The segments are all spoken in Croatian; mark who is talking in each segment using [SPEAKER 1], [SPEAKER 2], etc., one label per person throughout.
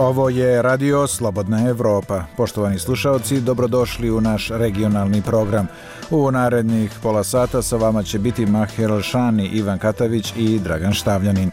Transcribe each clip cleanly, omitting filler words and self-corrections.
[SPEAKER 1] Ovo je Radio Slobodna Evropa. Poštovani slušalci, dobrodošli u naš regionalni program. U narednih pola sata sa vama će biti Mahir Alšani, Ivan Katavić i Dragan Štavljanin.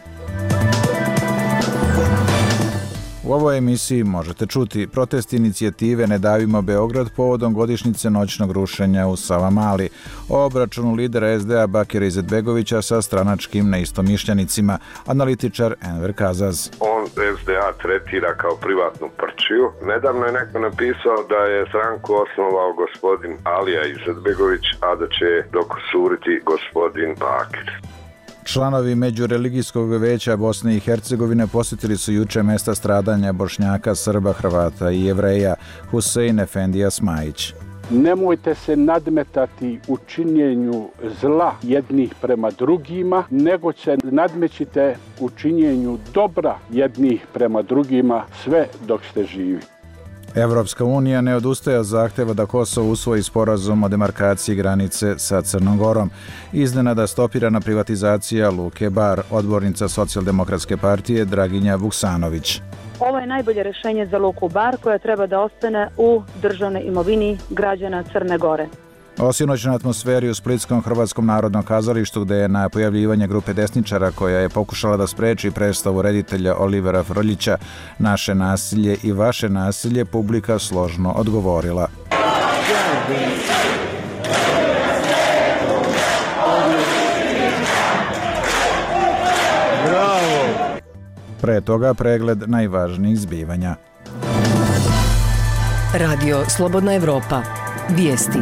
[SPEAKER 1] U ovoj emisiji možete čuti protest inicijative Ne davimo Beograd povodom godišnjice noćnog rušenja u Savamali, o obračunu lidera SDA Bakira Izetbegovića sa stranačkim neistomišljenicima, analitičar Enver Kazaz.
[SPEAKER 2] On SDA tretira kao privatnu prčiju. Nedavno je neko napisao da je stranku osnovao gospodin Alija Izetbegović, a da će dokusuriti gospodin Bakir.
[SPEAKER 1] Članovi Međureligijskog veća Bosne i Hercegovine posjetili su juče mesta stradanja Bošnjaka, Srba, Hrvata i Jevreja, Husein Efendija Smajić.
[SPEAKER 3] Nemojte se nadmetati u činjenju zla jednih prema drugima, nego se nadmećite u činjenju dobra jednih prema drugima sve dok ste živi.
[SPEAKER 1] Evropska unija ne odustaje od zahteva da Kosovo usvoji sporazum o demarkaciji granice sa Crnom Gorom. Iznenada stopirana privatizacija Luke Bar, odbornica Socijaldemokratske partije Draginja Vuksanović.
[SPEAKER 4] Ovo je najbolje rješenje za Luku Bar koja treba da ostane u državnoj imovini građana Crne Gore.
[SPEAKER 1] O sinoćnoj atmosferi u Splitskom Hrvatskom narodnom kazalištu, gde je na pojavljivanje grupe desničara koja je pokušala da spreči predstavu reditelja Olivera Frljića Naše nasilje i vaše nasilje, publika složno odgovorila. Pre toga pregled najvažnijih zbivanja.
[SPEAKER 5] Radio Slobodna Evropa. Vijesti.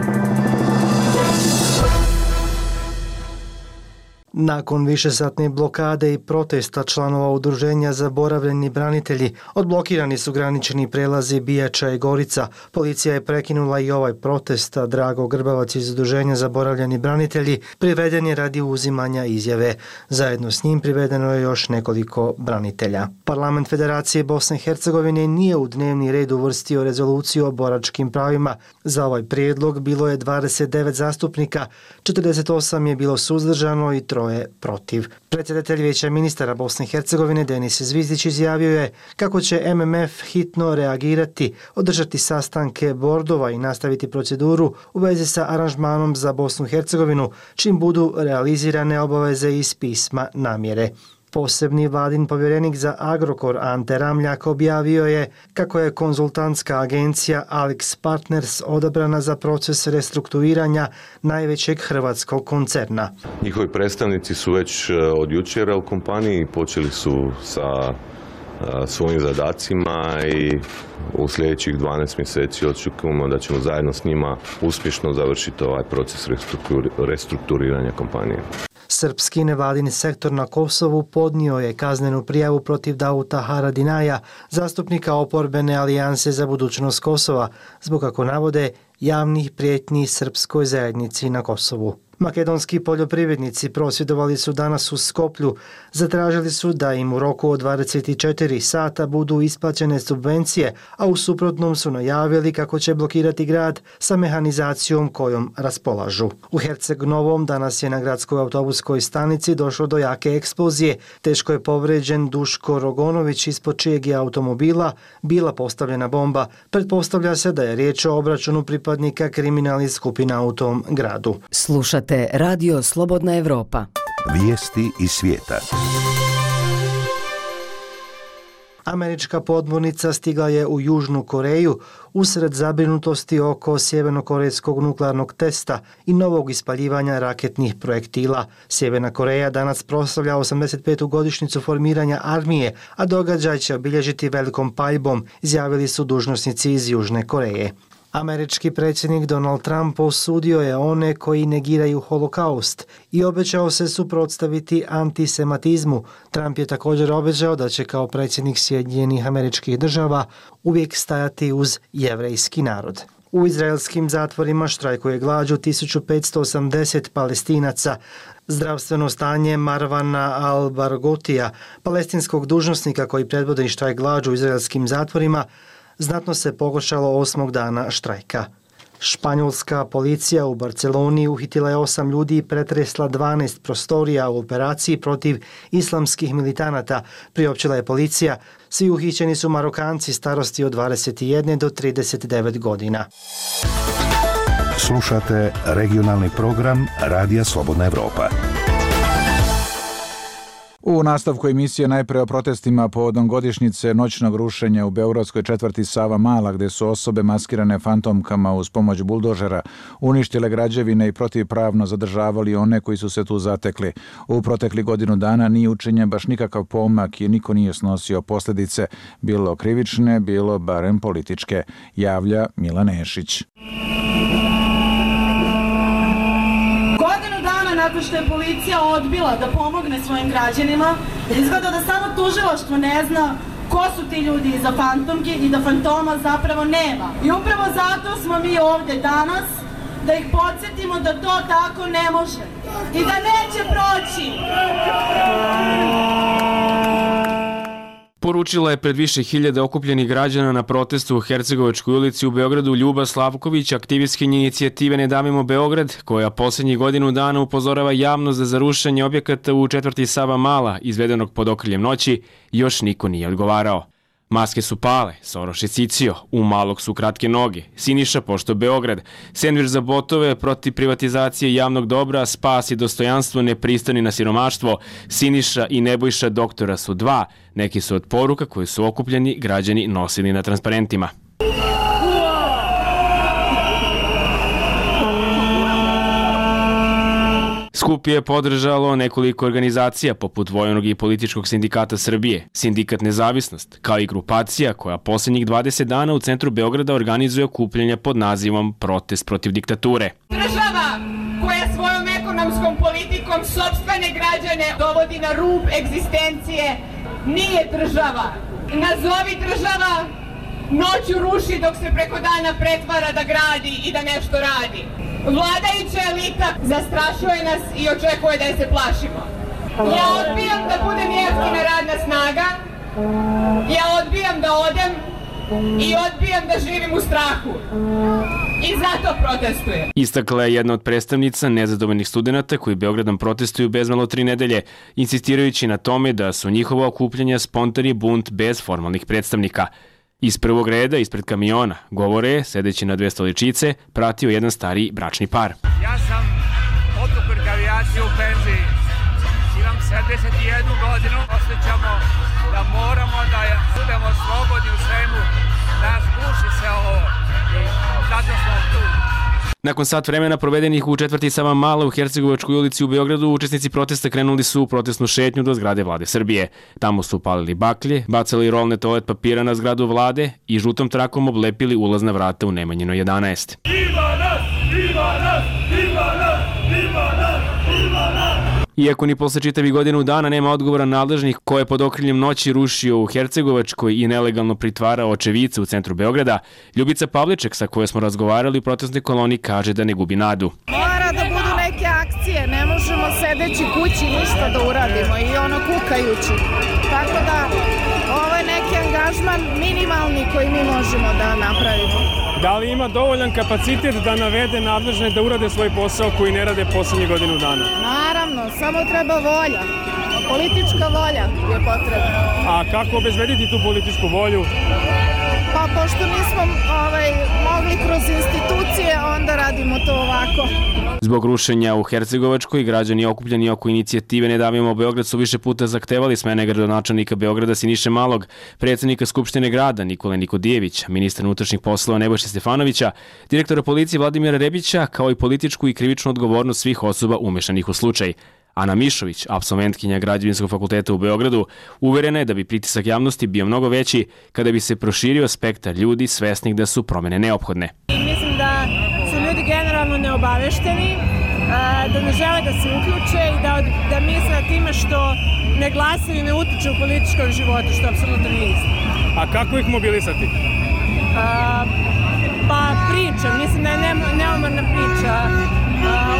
[SPEAKER 6] Nakon višesatne blokade i protesta članova udruženja Zaboravljeni branitelji, odblokirani su granični prelazi Bijača i Gorica. Policija je prekinula i ovaj protest, a Drago Grbavac iz udruženja Zaboravljeni branitelji priveden je radi uzimanja izjave. Zajedno s njim privedeno je još nekoliko branitelja. Parlament Federacije Bosne i Hercegovine nije u dnevni red uvrstio rezoluciju o boračkim pravima. Za ovaj prijedlog bilo je 29 zastupnika, 48 je bilo suzdržano i 3 protiv. Predsjedatelj Vijeća ministara Bosne i Hercegovine Denis Zvizdić izjavio je kako će MMF hitno reagirati, održati sastanke bordova i nastaviti proceduru u vezi sa aranžmanom za Bosnu i Hercegovinu, čim budu realizirane obaveze iz pisma namjere. Posebni vladin povjerenik za Agrokor Ante Ramljak objavio je kako je konzultantska agencija Alex Partners odabrana za proces restrukturiranja najvećeg hrvatskog koncerna.
[SPEAKER 7] Njihovi predstavnici su već od jučera u kompaniji, počeli su sa svojim zadacima i u sljedećih 12 mjeseci očekujemo da ćemo zajedno s njima uspješno završiti ovaj proces restrukturiranja kompanije.
[SPEAKER 6] Srpski nevladin sektor na Kosovu podnio je kaznenu prijavu protiv Davuta Haradinaja, zastupnika oporbene alijanse za budućnost Kosova, zbog, kako navode, javnih prijetnji srpskoj zajednici na Kosovu. Makedonski poljoprivrednici prosvjedovali su danas u Skoplju. Zatražili su da im u roku od 24 sata budu isplaćene subvencije, a u suprotnom su najavili kako će blokirati grad sa mehanizacijom kojom raspolažu. U Herceg Novom danas je na gradskoj autobuskoj stanici došlo do jake eksplozije. Teško je povređen Duško Rogonović, ispod čijeg je automobila bila postavljena bomba. Pretpostavlja se da je riječ o obračunu pripadnika kriminalnih skupina u tom gradu.
[SPEAKER 5] Slušate Radio Slobodna Evropa.
[SPEAKER 8] Vijesti iz svijeta.
[SPEAKER 6] Američka podmornica stigla je u Južnu Koreju usred zabrinutosti oko sjevernokorejskog nuklearnog testa i novog ispaljivanja raketnih projektila. Sjeverna Koreja danas proslavlja 85. godišnjicu formiranja armije, a događaj će obilježiti velikom paljbom, izjavili su dužnosnici iz Južne Koreje. Američki predsjednik Donald Trump osudio je one koji negiraju holokaust i obećao se suprotstaviti antisemitizmu. Trump je također obećao da će kao predsjednik Sjedinjenih Američkih Država uvijek stajati uz jevrejski narod. U izraelskim zatvorima štrajkuje glađu 1580 Palestinaca. Zdravstveno stanje Marwana al-Barghoutia, palestinskog dužnosnika koji predvodi štrajk glađu u izraelskim zatvorima, znatno se pogoršalo 8. dana štrajka. Španjolska policija u Barceloni uhitila je 8 ljudi i pretresla 12 prostorija u operaciji protiv islamskih militanata, priopćila je policija. Svi uhićeni su Marokanci starosti od 21 do 39 godina.
[SPEAKER 8] Slušate regionalni program Radija Slobodna Evropa.
[SPEAKER 1] U nastavku emisije najpre o protestima povodom godišnjice noćnog rušenja u beogradskoj četvrti Sava Mala, gde su osobe maskirane fantomkama uz pomoć buldožera uništile građevine i protivpravno zadržavali one koji su se tu zatekli. U protekli godinu dana nije učinjen baš nikakav pomak i niko nije snosio posljedice, bilo krivične, bilo barem političke, javlja Milan Nešić.
[SPEAKER 9] Nakon što je policija odbila da pomogne svojim građanima, izgleda da samo tužilaštvo ne zna ko su ti ljudi iza fantomki i da fantoma zapravo nema. I upravo zato smo mi ovdje danas, da ih podsjetimo da to tako ne može i da neće proći.
[SPEAKER 10] Poručila je pred više hiljada okupljenih građana na protestu u Hercegovačkoj ulici u Beogradu Ljuba Slavković, aktivistkinja inicijative Ne davimo Beograd, koja posljednjih godinu dana upozorava javnost da za rušenje objekata u četvrti Sava Mala, izvedenog pod okriljem noći, još niko nije odgovarao. Maske su pale, Soroš je cicio, u Malog su kratke noge, Siniša pošto Beograd, sendvič za botove protiv privatizacije javnog dobra, spas i dostojanstvo nepristani na siromaštvo, Siniša i Nebojša doktora su dva, neki su od poruka koje su okupljeni građani nosili na transparentima. Skup je podržalo nekoliko organizacija poput Vojnog i političkog sindikata Srbije, Sindikat Nezavisnost, kao i grupacija koja posljednjih 20 dana u centru Beograda organizuje okupljanja pod nazivom Protest protiv diktature.
[SPEAKER 9] Država koja svojom ekonomskom politikom sopstvene građane dovodi na rub egzistencije nije država. Nazovi država, noću ruši dok se preko dana pretvara da gradi i da nešto radi. Vladajuća elita zastrašuje nas i očekuje da je se plašimo. Ja odbijam da budem jeftina radna snaga, ja odbijam da odem i odbijam da živim u strahu. I zato protestujem.
[SPEAKER 10] Istakla je jedna od predstavnica nezadovoljnih studenata koji Beogradom protestuju bezmalo 3 nedelje, insistirajući na tome da su njihova okupljanja spontani bunt bez formalnih predstavnika. Iz prvog reda, ispred kamiona, govore, sedeći na 2 stoličice, pratio jedan stariji bračni par.
[SPEAKER 11] Ja sam otuprk avijacije u penziji. Imam 71 godinu. Osjećamo da moramo da budemo slobodni u svemu. Nas guši se ovo i zato smo tu.
[SPEAKER 10] Nakon sat vremena provedenih u četvrti Sava Mala u Hercegovačkoj ulici u Beogradu, učesnici protesta krenuli su u protestnu šetnju do zgrade Vlade Srbije. Tamo su palili baklje, bacali rolne toalet papira na zgradu Vlade i žutom trakom oblepili ulazna vrata u Nemanjinoj 11. Iako ni posle čitavih godinu dana nema odgovora nadležnih ko je pod okriljem noći rušio u Hercegovačkoj i nelegalno pritvarao očevice u centru Beograda, Ljubica Pavliček, sa kojoj smo razgovarali u protestnoj koloni, kaže da ne gubi nadu.
[SPEAKER 12] Mora da budu neke akcije, ne možemo sedeći kući ništa da uradimo i ono kukajući. Tako da ovo je neki angažman minimalni koji mi možemo da napravimo.
[SPEAKER 13] Da li ima dovoljan kapacitet da navede nadležne da urade svoj posao koji ne rade posljednjih godinu dana?
[SPEAKER 12] Naravno, samo treba volja. Politička volja je potrebna.
[SPEAKER 13] A kako obezbediti tu političku volju?
[SPEAKER 12] Pa pošto nismo mogli kroz institucije, onda radimo to ovako.
[SPEAKER 10] Zbog rušenja u Hercegovačkoj, građani okupljeni oko inicijative Ne davimo Beograd su više puta zahtevali smene gradonačelnika Beograda Siniše Malog, predsjednika Skupštine grada Nikole Nikodijevića, ministra unutrašnjih poslova Nebojše Stefanovića, direktora policije Vladimira Rebića, kao i političku i krivičnu odgovornost svih osoba umešanih u slučaj. Ana Mišović, apsolventkinja Građevinskog fakulteta u Beogradu, uverena je da bi pritisak javnosti bio mnogo veći kada bi se proširio spektar ljudi svesnih da su promene neophodne.
[SPEAKER 12] Mislim da su ljudi generalno neobavešteni, da ne žele da se uključe i da misle time što ne glasaju i ne utiču u političkom životu, što apsolutno nije isto.
[SPEAKER 13] A kako ih mobilisati?
[SPEAKER 12] Pa priča, mislim da je neumorna priča.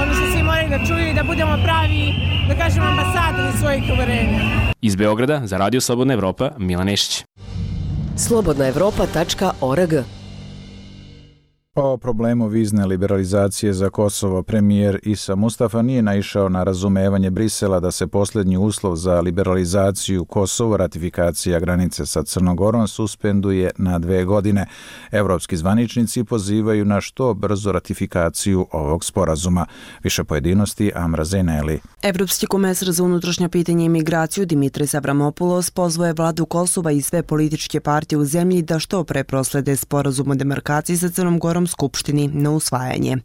[SPEAKER 12] Ono što svi moraju da čuju i da budemo pravi, da kažemo, ambasadori svojih uverenja.
[SPEAKER 10] Iz Beograda za Radio Slobodna Evropa, Milan Nešić.
[SPEAKER 5] slobodnaevropa.org
[SPEAKER 1] O problemu vizne liberalizacije za Kosovo premijer Isa Mustafa nije naišao na razumevanje Brisela da se posljednji uslov za liberalizaciju Kosova, ratifikacija granice sa Crnogorom, suspenduje na 2 godine. Evropski zvaničnici pozivaju na što brzo ratifikaciju ovog sporazuma. Više pojedinosti Amra Zeneli.
[SPEAKER 14] Evropski komesar za unutrašnja pitanja i migraciju Dimitris Avramopoulos pozvoje vladu Kosova i sve političke partije u zemlji da što pre proslede sporazum o demarkaciji sa Crnom Gorom Skupštini na usvajanje.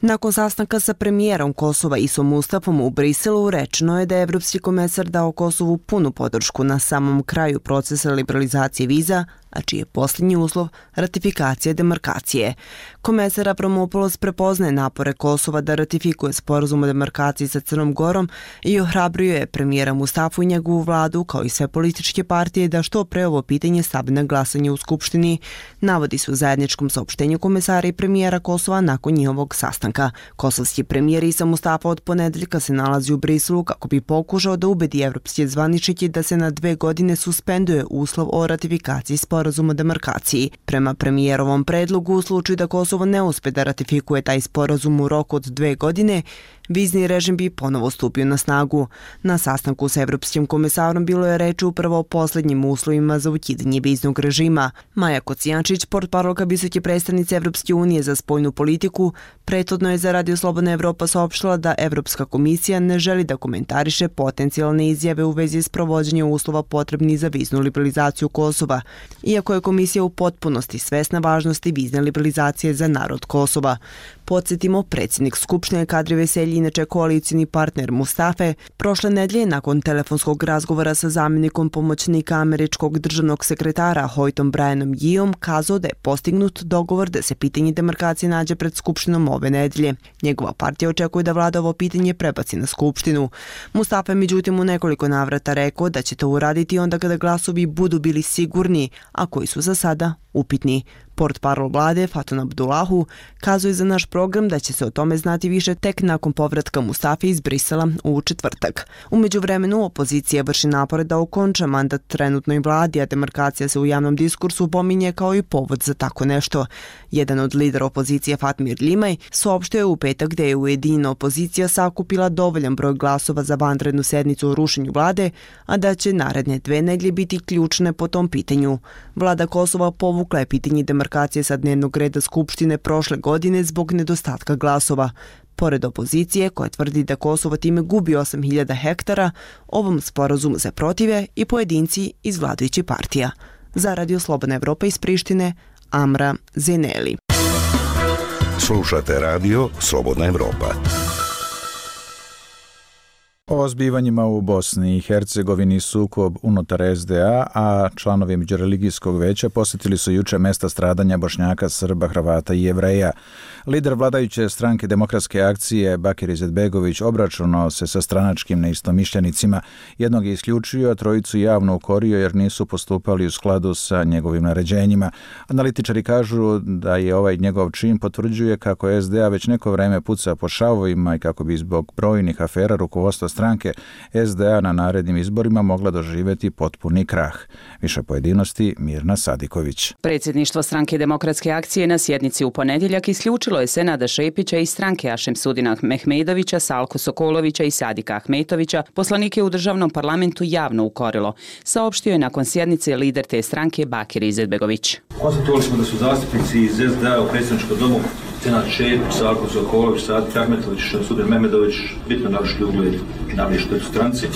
[SPEAKER 14] Nakon sastanka sa premijerom Kosova Isom Mustafom u Briselu rečeno je da je evropski komesar dao Kosovu punu podršku na samom kraju procesa liberalizacije viza, a čiji je posljednji uslov ratifikacija demarkacije. Komesar Avramopoulos prepoznaje napore Kosova da ratifikuje sporazum o demarkaciji sa Crnom Gorom i ohrabruje je premijera Mustafu i njegovu vladu, kao i sve političke partije, da što pre ovo pitanje stave na glasanje u Skupštini, navodi se u zajedničkom saopštenju komesara i premijera Kosova nakon njihovog sastanka. Kosovski premijer Isa Mustafa od ponedeljka se nalazi u Briselu kako bi pokušao da ubedi evropske zvaničnike da se na 2 godine suspenduje uslov o ratifikaciji sporazum o demarkaciji. Prema premijerovom predlogu, u slučaju da Kosovo ne uspe da ratifikuje taj sporazum u roku od 2 godine, vizni režim bi ponovo stupio na snagu. Na sastanku sa evropskim komesarom bilo je reč upravo o posljednjim uslovima za ukidanje viznog režima. Maja Kocijančić, portparolka visoke predstavnice Evropske unije za spoljnu politiku, prethodno je za Radio Slobodna Evropa saopštila da Evropska komisija ne želi da komentariše potencijalne izjave u vezi s provođenjem uslova potrebnih za viznu liberalizaciju Kosova, iako je komisija u potpunosti svesna važnosti vizne liberalizacije za narod Kosova. Podsjetimo, predsjednik Skupštine Kadri Veselji, inače koalicijni partner Mustafe, prošle nedelje nakon telefonskog razgovora sa zamjenikom pomoćnika američkog državnog sekretara Hoytom Brianom Yeeom kazao da je postignut dogovor da se pitanje demarkacije nađe pred Skupštinom ove nedelje. Njegova partija očekuje da vlada ovo pitanje prebaci na Skupštinu. Mustafa je međutim u nekoliko navrata rekao da će to uraditi onda kada glasovi budu bili sigurni, a koji su za sada upitni. Portparol vlade Fatun Abdullahu kazuje za naš program da će se o tome znati više tek nakon povratka Mustafe iz Brisela u četvrtak. U međuvremenu opozicija vrši napore da okonča mandat trenutnoj vladi, a demarkacija se u javnom diskursu pominje kao i povod za tako nešto. Jedan od lidera opozicije Fatmir Limaj saopštio je u petak da je ujedinjena opozicija sakupila dovoljan broj glasova za vanrednu sednicu o rušenju vlade, a da će naredne 2 nedelje biti ključne po tom pitanju. Vlada Kosova povukla je pitanje demarkacije sa dnevnog reda Skupštine prošle godine zbog nedostatka glasova. Pored opozicije, koja tvrdi da Kosovo time gubi 8.000 hektara, ovom sporazumu se protive i pojedinci iz vladajućih partija. Za Radio Slobodna Evropa iz Prištine, Amra Zeneli.
[SPEAKER 8] Slušate Radio Slobodna Evropa.
[SPEAKER 1] O zbivanjima u Bosni i Hercegovini sukob unutar SDA, a članovi Međureligijskog veća posjetili su juče mesta stradanja Bošnjaka, Srba, Hrvata i Jevreja. Lider vladajuće stranke Demokratske akcije Bakir Izetbegović obračunao se sa stranačkim neistomišljenicima. Jednog je isključio, a trojicu javno ukorio jer nisu postupali u skladu sa njegovim naređenjima. Analitičari kažu da je ovaj njegov čin potvrđuje kako SDA već neko vreme puca po šavovima i kako bi zbog brojnih afera rukovodstva stranke SDA na narednim izborima mogla doživjeti potpuni krah. Više pojedinosti Mirna Sadiković.
[SPEAKER 15] Predsjedništvo stranke Demokratske akcije na sjednici u ponedjeljak isključilo je Senada Šepića iz stranke Ašemsudina Mehmedovića, Salko Sokolovića i Sadika Ahmetovića, poslanike u državnom parlamentu javno ukorilo. Saopštio je nakon sjednice lider te stranke Bakir Izetbegović.
[SPEAKER 16] Konstatovali smo da su zastupnici iz SDA u predsjedničkom domu Senad Šepić, Salko Sokolović, Sadik Ahmetović, Ašemsudin Mehmedović bitno narušili ugled i nanijeli štetu stranci.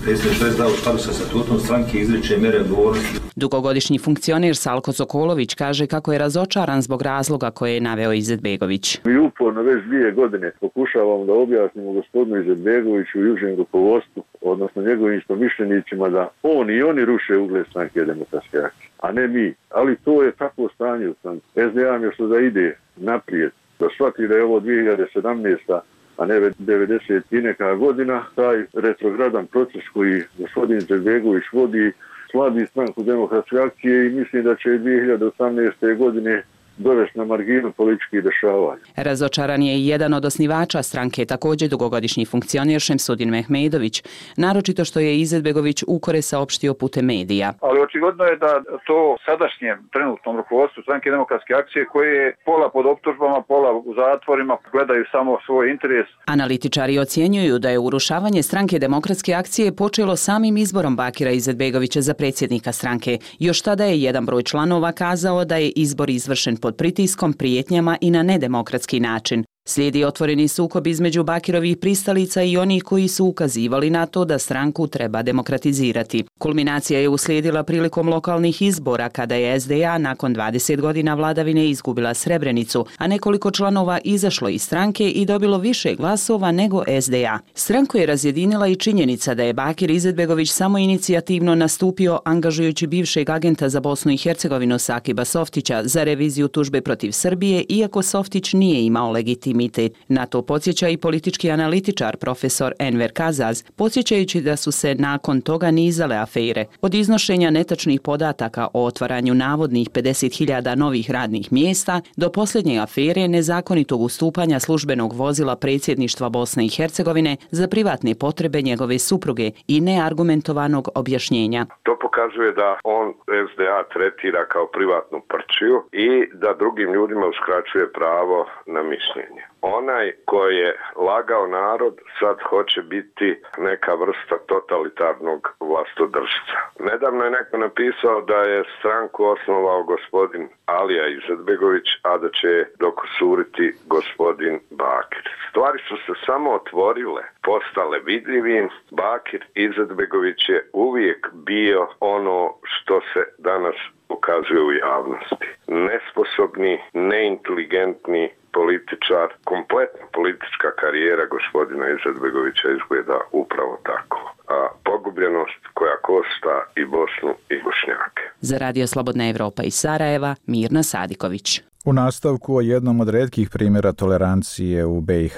[SPEAKER 16] Predsjedništvo SDA u skladu sa statutom stranke izriče mjere odgovornosti.
[SPEAKER 15] Dugogodišnji funkcioner Salko Sokolović kaže kako je razočaran zbog razloga koje je naveo Izetbegović.
[SPEAKER 17] Mi uporno već 2 godine pokušavamo da objasnimo gospodinu Izetbegoviću i užem rukovodstvu, odnosno njegovim istomišljenicima, da on i oni ruše ugled stranke Demokratske akcije, a ne mi. Ali to je takvo stanje u stranci. SDA mi još da ide naprijed, da shvati da je ovo 2017. a ne 90 i neka godina, taj retrogradan proces koji gospodin Izetbegović vodi slabi stranku Demokratske akcije i mislim da će 2018. godine dovesti na marginu političkih dešavanja.
[SPEAKER 15] Razočaran je i jedan od osnivača stranke, također dugogodišnji funkcioner Šemsudin Mehmedović, naročito što je Izetbegović ukore saopštio putem medija.
[SPEAKER 18] Ali očigledno je da to sadašnjem trenutnom rukovodstvu Stranke demokratske akcije, koje je pola pod optužbama, pola u zatvorima, gledaju samo svoj interes.
[SPEAKER 15] Analitičari ocjenjuju da je urušavanje Stranke demokratske akcije počelo samim izborom Bakira Izetbegovića za predsjednika stranke. Još tada je jedan broj članova kazao da je izbor izvršen pod pritiskom, prijetnjama i na nedemokratski način. Slijedi otvoreni sukob između Bakirovih pristalica i onih koji su ukazivali na to da stranku treba demokratizirati. Kulminacija je uslijedila prilikom lokalnih izbora kada je SDA nakon 20 godina vladavine izgubila Srebrenicu, a nekoliko članova izašlo iz stranke i dobilo više glasova nego SDA. Stranku je razjedinila i činjenica da je Bakir Izetbegović samo inicijativno nastupio angažujući bivšeg agenta za Bosnu i Hercegovinu Sakiba Softića za reviziju tužbe protiv Srbije, iako Softić nije imao legitimitet. Na to podsjeća i politički analitičar profesor Enver Kazaz, podsjećajući da su se nakon toga nizale afere. Od iznošenja netačnih podataka o otvaranju navodnih 50.000 novih radnih mjesta do posljednje afere nezakonitog ustupanja službenog vozila predsjedništva Bosne i Hercegovine za privatne potrebe njegove supruge i neargumentovanog objašnjenja.
[SPEAKER 2] To pokazuje da on SDA tretira kao privatnu prčiju i da drugim ljudima uskraćuje pravo na mišljenje. Onaj koji je lagao narod sad hoće biti neka vrsta totalitarnog vlastodržca. Nedavno je neko napisao da je stranku osnovao gospodin Alija Izetbegović, a da će dokusuriti gospodin Bakir. Stvari su se samo otvorile, postale vidljivim. Bakir Izetbegović je uvijek bio ono što se danas pokazuje u javnosti. Nesposobni, neinteligentni političar, kompletna politička karijera gospodina Izetbegovića izgleda upravo tako. A pogubljenost koja košta i Bosnu i Bošnjake.
[SPEAKER 15] Za Radio Slobodna Evropa iz Sarajeva, Mirna Sadiković.
[SPEAKER 1] U nastavku o jednom od retkih primjera tolerancije u BiH.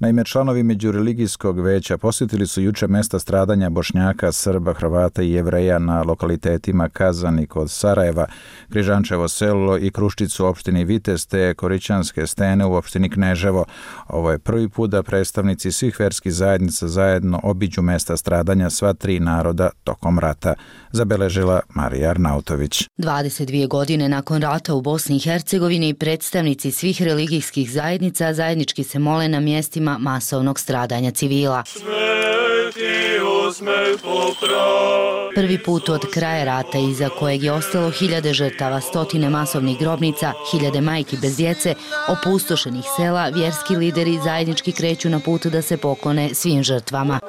[SPEAKER 1] Naime, članovi Međureligijskog veća posjetili su juče mesta stradanja Bošnjaka, Srba, Hrvata i Jevreja na lokalitetima Kazani kod Sarajeva, Križančevo selo i Kruščicu u opštini Vitez te Korićanske stene u opštini Kneževo. Ovo je prvi put da predstavnici svih verskih zajednica zajedno obiđu mesta stradanja sva tri naroda tokom rata, zabeležila Marija Arnautović.
[SPEAKER 19] 22 godine nakon rata u Bosni i Hercegovini predstavnici svih religijskih zajednica zajednički se mole na mjestima masovnog stradanja civila. Prvi put od kraja rata iza kojeg je ostalo hiljade žrtava, stotine masovnih grobnica, hiljade majki bez djece, opustošenih sela, vjerski lideri zajednički kreću na put da se poklone svim žrtvama.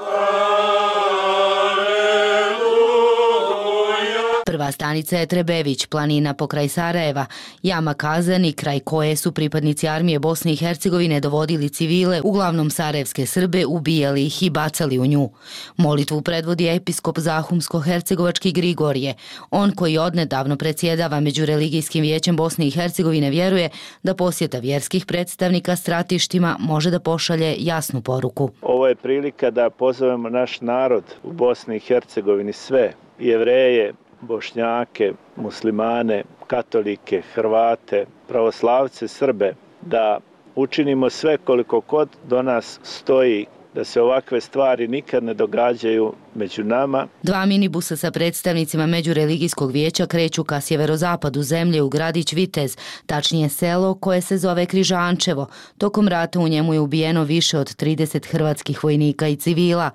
[SPEAKER 19] Prva stanica je Trebević, planina pokraj Sarajeva, jama Kazani, kraj koje su pripadnici armije Bosne i Hercegovine dovodili civile, uglavnom sarajevske Srbe, ubijali ih i bacali u nju. Molitvu predvodi episkop Zahumsko-hercegovački Grigorije. On koji odnedavno predsjedava Međureligijskim vijećem Bosne i Hercegovine vjeruje da posjeta vjerskih predstavnika stratištima može da pošalje jasnu poruku.
[SPEAKER 20] Ovo je prilika da pozovemo naš narod u Bosni i Hercegovini, sve Jevreje, Bošnjake, muslimane, katolike, Hrvate, pravoslavce, Srbe, da učinimo sve koliko god do nas stoji da se ovakve stvari nikad ne događaju među nama.
[SPEAKER 19] Dva minibusa sa predstavnicima Međureligijskog vijeća kreću ka sjeverozapadu zemlje u gradić Vitez, tačnije selo koje se zove Križančevo. Tokom rata u njemu je ubijeno više od 30 hrvatskih vojnika i civila.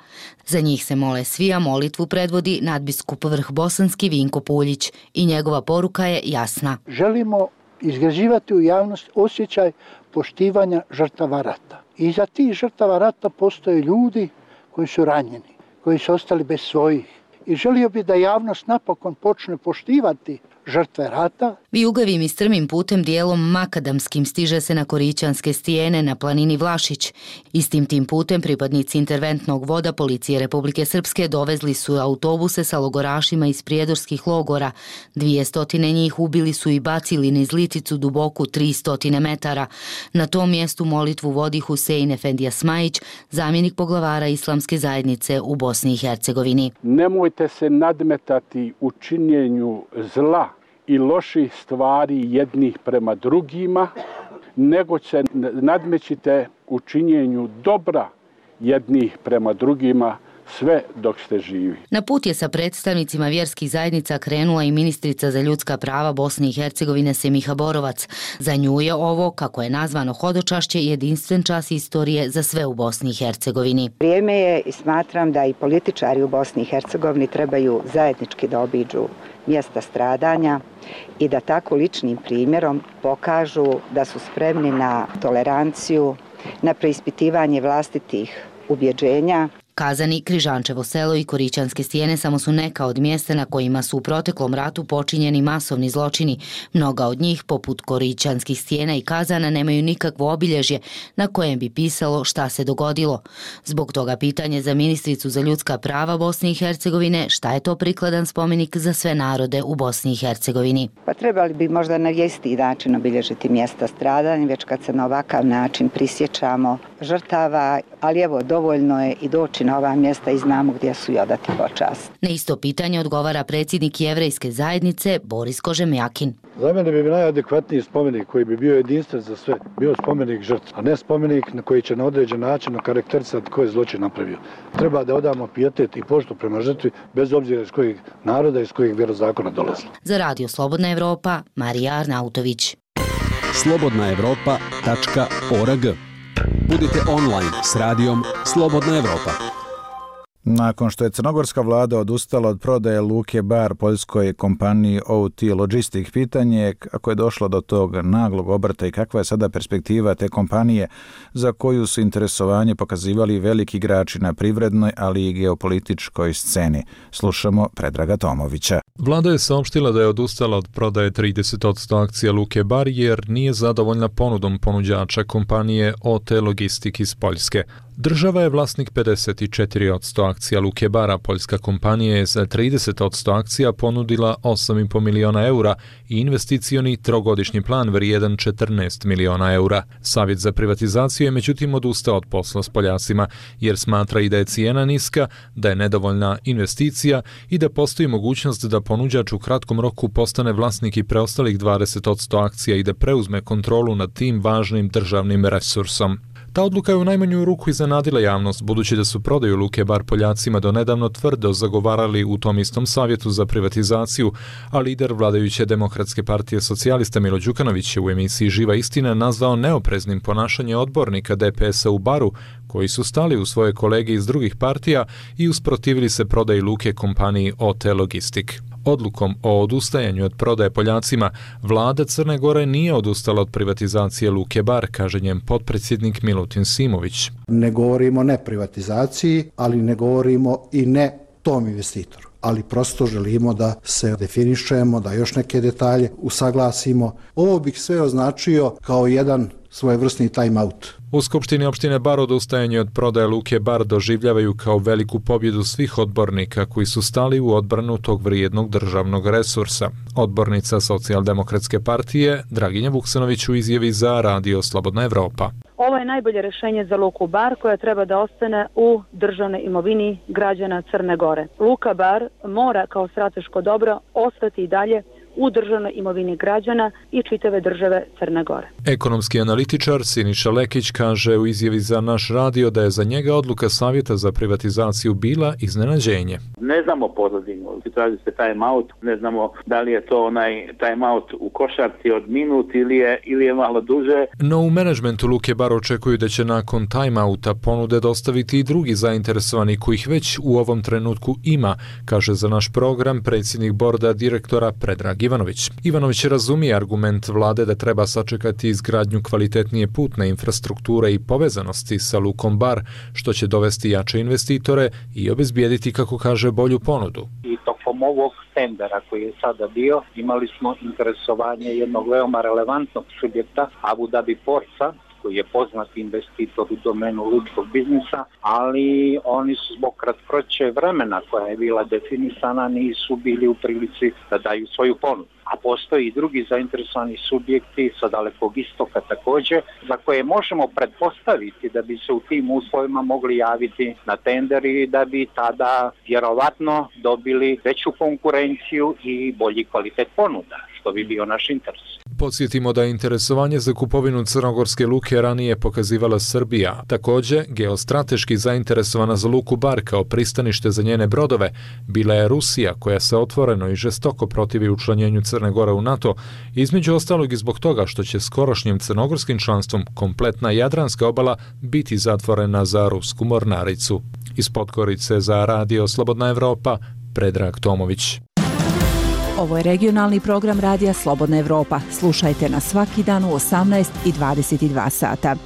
[SPEAKER 19] Za njih se mole svi, a molitvu predvodi nadbiskup Vrhbosanski Vinko Puljić i njegova poruka je jasna.
[SPEAKER 21] Želimo izgrađivati u javnost osjećaj poštivanja žrtava rata. Iza tih žrtava rata postoje ljudi koji su ranjeni, koji su ostali bez svojih. I želio bi da javnost napokon počne poštivati žrtve rata.
[SPEAKER 19] Vijugavim i strmim putem dijelom makadamskim stiže se na Korićanske stijene na planini Vlašić. Istim tim putem pripadnici interventnog voda Policije Republike Srpske dovezli su autobuse sa logorašima iz prijedorskih logora. 200 njih ubili su i bacili niz Liticu duboku 300 metara. Na tom mjestu molitvu vodi Husein Efendija Smajić, zamjenik poglavara Islamske zajednice u Bosni i Hercegovini.
[SPEAKER 3] Nemojte se nadmetati u činjenju zla i loših stvari jednih prema drugima, nego se nadmećite u činjenju dobra jednih prema drugima sve dok ste živi.
[SPEAKER 19] Na put je sa predstavnicima vjerskih zajednica krenula i ministrica za ljudska prava Bosne i Hercegovine Semiha Borovac. Za nju je ovo, kako je nazvano hodočašće, jedinstven čas istorije za sve u Bosni i Hercegovini.
[SPEAKER 4] Vrijeme je i smatram da i političari u Bosni i Hercegovini trebaju zajednički da obiđu mjesta stradanja i da tako ličnim primjerom pokažu da su spremni na toleranciju, na preispitivanje vlastitih ubjeđenja.
[SPEAKER 19] Kazani, Križančevo selo i Korićanske stijene samo su neka od mjesta na kojima su u proteklom ratu počinjeni masovni zločini. Mnoga od njih, poput Korićanskih stijena i Kazana, nemaju nikakvo obilježje na kojem bi pisalo šta se dogodilo. Zbog toga pitanje za ministricu za ljudska prava Bosne i Hercegovine, šta je to prikladan spomenik za sve narode u Bosni i Hercegovini.
[SPEAKER 4] Pa trebali bi možda na isti način obilježiti mjesta stradanja, već kad se na ovakav način prisjećamo žrtava, ali evo, dovoljno je i doći na ova mjesta i znamo gdje su i odati počast.
[SPEAKER 19] Na isto pitanje odgovara predsjednik Jevrejske zajednice Boris Kožemjakin.
[SPEAKER 22] Za mene bi najadekvatniji spomenik koji bi bio jedinstven za sve, bio spomenik žrtva, a ne spomenik na koji će na određen način okarakterisati ko je zločin napravio. Treba da odamo pijetet i poštu prema žrtvi, bez obzira iz kojeg naroda i iz kojeg vjerozakona dolazi.
[SPEAKER 19] Za Radio Slobodna Evropa, Marija Arnautović.
[SPEAKER 23] slobodnaevropa.org. Budite online s radijom Slobodna Evropa.
[SPEAKER 1] Nakon što je crnogorska vlada odustala od prodaje luke Bar poljskoj kompaniji OT Logistic, pitanje je kako je došlo do tog naglog obrta i kakva je sada perspektiva te kompanije za koju su interesovanje pokazivali veliki igrači na privrednoj, ali i geopolitičkoj sceni. Slušamo Predraga Tomovića.
[SPEAKER 24] Vlada je saopštila da je odustala od prodaje 30% akcija luke Bar jer nije zadovoljna ponudom ponuđača kompanije OT Logistic iz Poljske. Država je vlasnik 54% akcija luke Bara. Poljska kompanija je za 30% akcija ponudila 8,5 miliona eura i investicioni trogodišnji plan vrijedan 14 miliona eura. Savjet za privatizaciju je međutim odustao od posla s Poljacima jer smatra i da je cijena niska, da je nedovoljna investicija i da postoji mogućnost da ponuđač u kratkom roku postane vlasnik i preostalih 20% akcija i da preuzme kontrolu nad tim važnim državnim resursom. Ta odluka je u najmanju ruku iznenadila javnost, budući da su prodaju luke Bar Poljacima do nedavno tvrdo zagovarali u tom istom savjetu za privatizaciju, a lider vladajuće Demokratske partije socijalista Milo Đukanović je u emisiji Živa istina nazvao neopreznim ponašanje odbornika DPS-a u Baru, koji su stali u svoje kolege iz drugih partija i usprotivili se prodaji luke kompaniji OT Logistic. Odlukom o odustajanju od prodaje Poljacima, vlada Crne Gore nije odustala od privatizacije luke Bar, kaže njen potpredsjednik Milutin Simović.
[SPEAKER 25] Ne govorimo ne privatizaciji, ali ne govorimo i ne tom investitoru. Ali prosto želimo da se definišemo, da još neke detalje usaglasimo. Ovo bih sve označio kao jedan svojevrsni time out.
[SPEAKER 24] U Skupštini opštine Bar odustajanje od prodaje luke Bar doživljavaju kao veliku pobjedu svih odbornika koji su stali u odbranu tog vrijednog državnog resursa. Odbornica Socijaldemokratske partije Draginja Vuksanović u izjavi za Radio Slobodna Evropa.
[SPEAKER 26] Ovo je najbolje rješenje za luku Bar koja treba da ostane u državnoj imovini građana Crne Gore. Luka Bar mora kao strateško dobro ostati i dalje u državnoj imovini građana i čitave države Crne Gore.
[SPEAKER 24] Ekonomski analitičar Siniša Lekić kaže u izjavi za naš radio da je za njega odluka Savjeta za privatizaciju bila iznenađenje.
[SPEAKER 27] Ne znamo pozadinu, traži se time out, ne znamo da li je to onaj time out u košarci od minut ili je malo duže.
[SPEAKER 24] No u menadžmentu luke Bar očekuju da će nakon time outa ponude dostaviti i drugi zainteresovani kojih već u ovom trenutku ima, kaže za naš program predsjednik borda direktora Predrag Ivanović. Ivanović razumije argument vlade da treba sačekati izgradnju kvalitetnije putne infrastrukture i povezanosti sa lukom Bar, što će dovesti jače investitore i obezbijediti, kako kaže, bolju ponudu.
[SPEAKER 28] I tokom ovog tendera koji je sada bio, imali smo interesovanje jednog veoma relevantnog subjekta, Abu Dhabi Portsa, koji je poznat investitor u domenu lučkog biznisa, ali oni su zbog kratkoće vremena koja je bila definisana nisu bili u prilici da daju svoju ponudu. A postoji i drugi zainteresovani subjekti sa Dalekog istoka također, za koje možemo pretpostaviti da bi se u tim uslovima mogli javiti na tender i da bi tada vjerovatno dobili veću konkurenciju i bolji kvalitet ponuda, što bi bio naš interes.
[SPEAKER 24] Podsjetimo da je interesovanje za kupovinu crnogorske luke ranije pokazivala Srbija. Također, geostrateški zainteresovana za luku Bar kao pristanište za njene brodove bila je Rusija, koja se otvoreno i žestoko protivi učlanjenju Crne Gore u NATO, između ostalog i zbog toga što će skorošnjim crnogorskim članstvom kompletna Jadranska obala biti zatvorena za rusku mornaricu. Iz Podgorice za Radio Slobodna Evropa, Predrag Tomović.
[SPEAKER 5] Ovo je regionalni program Radija Slobodna Evropa. Slušajte nas svaki dan u 18 i 22 sata.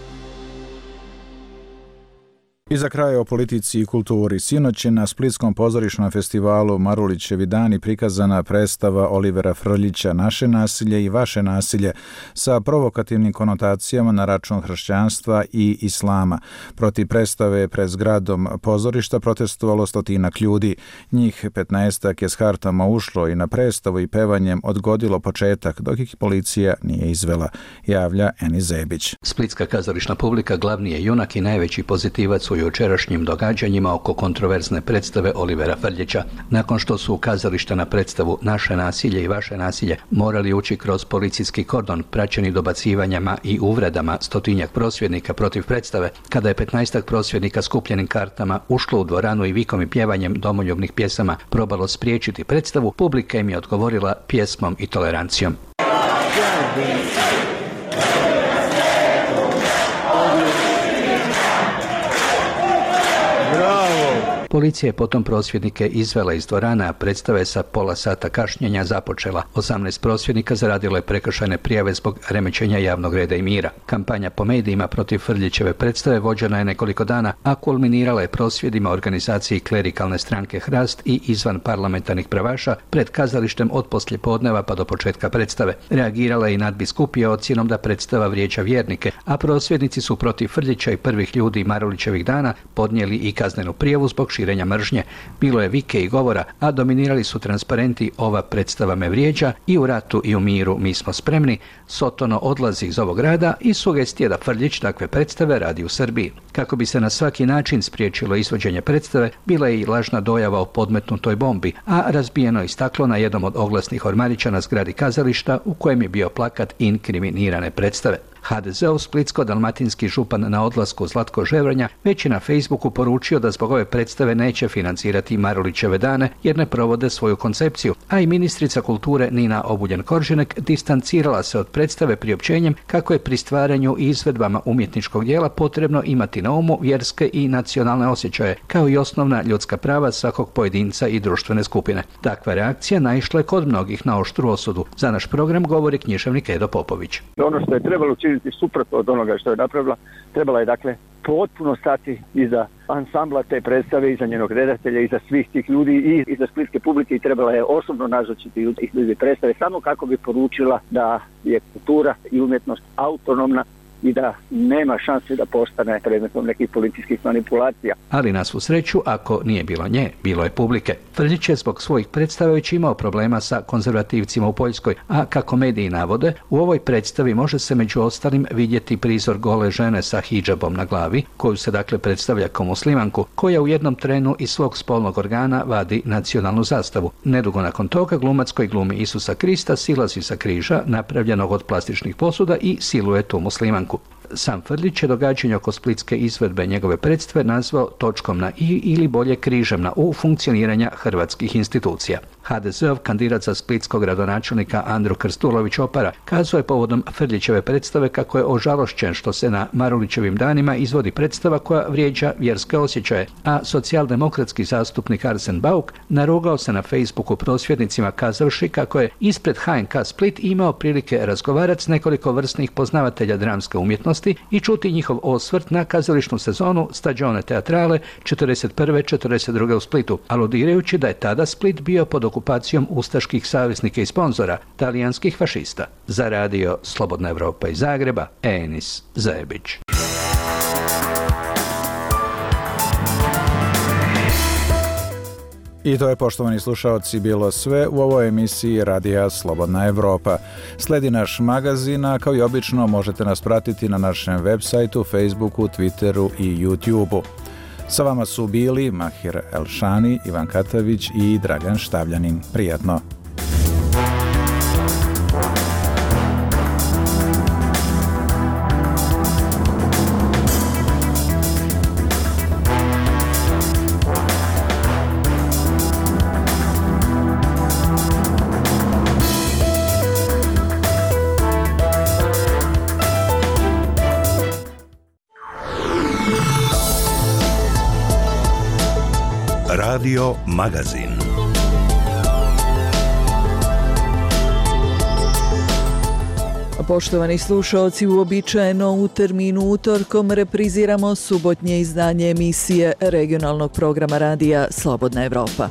[SPEAKER 1] I za kraj o politici i kulturi. Sinoć je na Splitskom pozorišnom festivalu Marulićevi dani prikazana predstava Olivera Frljića Naše nasilje i vaše nasilje sa provokativnim konotacijama na račun hrišćanstva i islama. Protiv predstave pred zgradom pozorišta protestovalo 100 ljudi. Njih 15 je s kartama ušlo i na predstavu i pevanjem odgodilo početak, dok ih policija nije izvela, javlja Eni Zebić.
[SPEAKER 6] Splitska kazališna publika glavni je junak i najveći pozitivac u jučerašnjim događanjima oko kontroverzne predstave Olivera Frljića. Nakon što su u kazališta na predstavu Naše nasilje i vaše nasilje morali ući kroz policijski kordon praćeni dobacivanjama i uvredama 100 prosvjednika protiv predstave, kada je 15 prosvjednika skupljenim kartama ušlo u dvoranu i vikom i pjevanjem domoljubnih pjesama probalo spriječiti predstavu, publika im je odgovorila pjesmom i tolerancijom. Policija je potom prosvjednike izvela iz dvorana, a predstava je sa pola sata kašnjenja započela. 18 prosvjednika zaradilo je prekršajne prijave zbog remećenja javnog reda i mira. Kampanja po medijima protiv Frljićeve predstave vođena je nekoliko dana, a kulminirala je prosvjedima organizaciji klerikalne stranke Hrast i izvan parlamentarnih pravaša pred kazalištem od poslijepodneva pa do početka predstave. Reagirala je i nadbiskupija ocjenom da predstava vrijeđa vjernike, a prosvjednici su protiv Frljića i prvih ljudi Marulićevih dana podnijeli i kaznenu prijavu zbog širenja mržnje. Bilo je vike i govora, a dominirali su transparenti Ova predstava me vrijeđa i U ratu i u miru mi smo spremni, Sotono odlazi iz ovog grada i sugestije da Frljić takve predstave radi u Srbiji. Kako bi se na svaki način spriječilo izvođenje predstave, bila je i lažna dojava o podmetnutoj bombi, a razbijeno je staklo na jednom od oglasnih ormarića na zgradi kazališta u kojem je bio plakat inkriminirane predstave. HDZ-ov splitsko-dalmatinski župan na odlasku Zlatko Ževrnja već je na Facebooku poručio da zbog ove predstave neće financirati Marulićeve dane jer ne provode svoju koncepciju, a i ministrica kulture Nina Obuljen-Koržinek distancirala se od predstave priopćenjem kako je pri stvaranju i izvedbama umjetničkog dijela potrebno imati na umu vjerske i nacionalne osjećaje, kao i osnovna ljudska prava svakog pojedinca i društvene skupine. Takva reakcija naišla je kod mnogih na oštru osudu. Za naš program govori književnik Edo Popović.
[SPEAKER 7] Ono što je trebalo učiniti suprotno od onoga što je napravila, trebala je dakle potpuno stati iza ansambla te predstave, iza njenog redatelja, iza svih tih ljudi i iza splitske publike i trebala je osobno nazočiti ljudi predstave samo kako bi poručila da je kultura i umjetnost autonomna i da nema šanse da postane predmetom nekih policijskih manipulacija.
[SPEAKER 6] Ali na svu sreću, ako nije bilo nje, bilo je publike. Frljić je zbog svojih predstava već imao problema sa konzervativcima u Poljskoj, a kako mediji navode, u ovoj predstavi može se među ostalim vidjeti prizor gole žene sa hidžabom na glavi, koju se dakle predstavlja kao muslimanku, koja u jednom trenu iz svog spolnog organa vadi nacionalnu zastavu. Nedugo nakon toga glumac koji glumi Isusa Krista silazi sa križa, napravljenog od plastičnih posuda i siluje tu muslimanku. Sam Frljić je događanje oko splitske izvedbe njegove predstave nazvao točkom na i ili bolje križem na u funkcioniranja hrvatskih institucija. HDZ-ov kandidat za splitskog gradonačelnika Andro Krstulović Opara kazao je povodom Frljićeve predstave kako je ožalošćen što se na Marulićevim danima izvodi predstava koja vrijeđa vjerske osjećaje, a socijaldemokratski zastupnik Arsen Bauk narugao se na Facebooku prosvjednicima kazavši kako je ispred HNK Split imao prilike razgovarati s nekoliko vrsnih poznavatelja dramske umjetnosti okolnosti i čuti njihov osvrt na kazališnu sezonu Stagione Teatrale 41. 42. u Splitu, aludirajući da je tada Split bio pod okupacijom ustaških saveznika i sponzora, talijanskih fašista. Za radio Slobodna Evropa iz Zagreba, Enis Zebić.
[SPEAKER 1] I to je, poštovani slušaoci, bilo sve u ovoj emisiji Radija Slobodna Evropa. Sledi naš magazin, a kao i obično možete nas pratiti na našem web sajtu, Facebooku, Twitteru i YouTubeu. Sa vama su bili Mahir Elšani, Ivan Katavić i Dragan Štavljanin. Prijatno!
[SPEAKER 8] Radio Magazin.
[SPEAKER 9] Poštovani slušaoci, uobičajeno u terminu utorkom repriziramo subotnje izdanje emisije regionalnog programa radija Slobodna Evropa.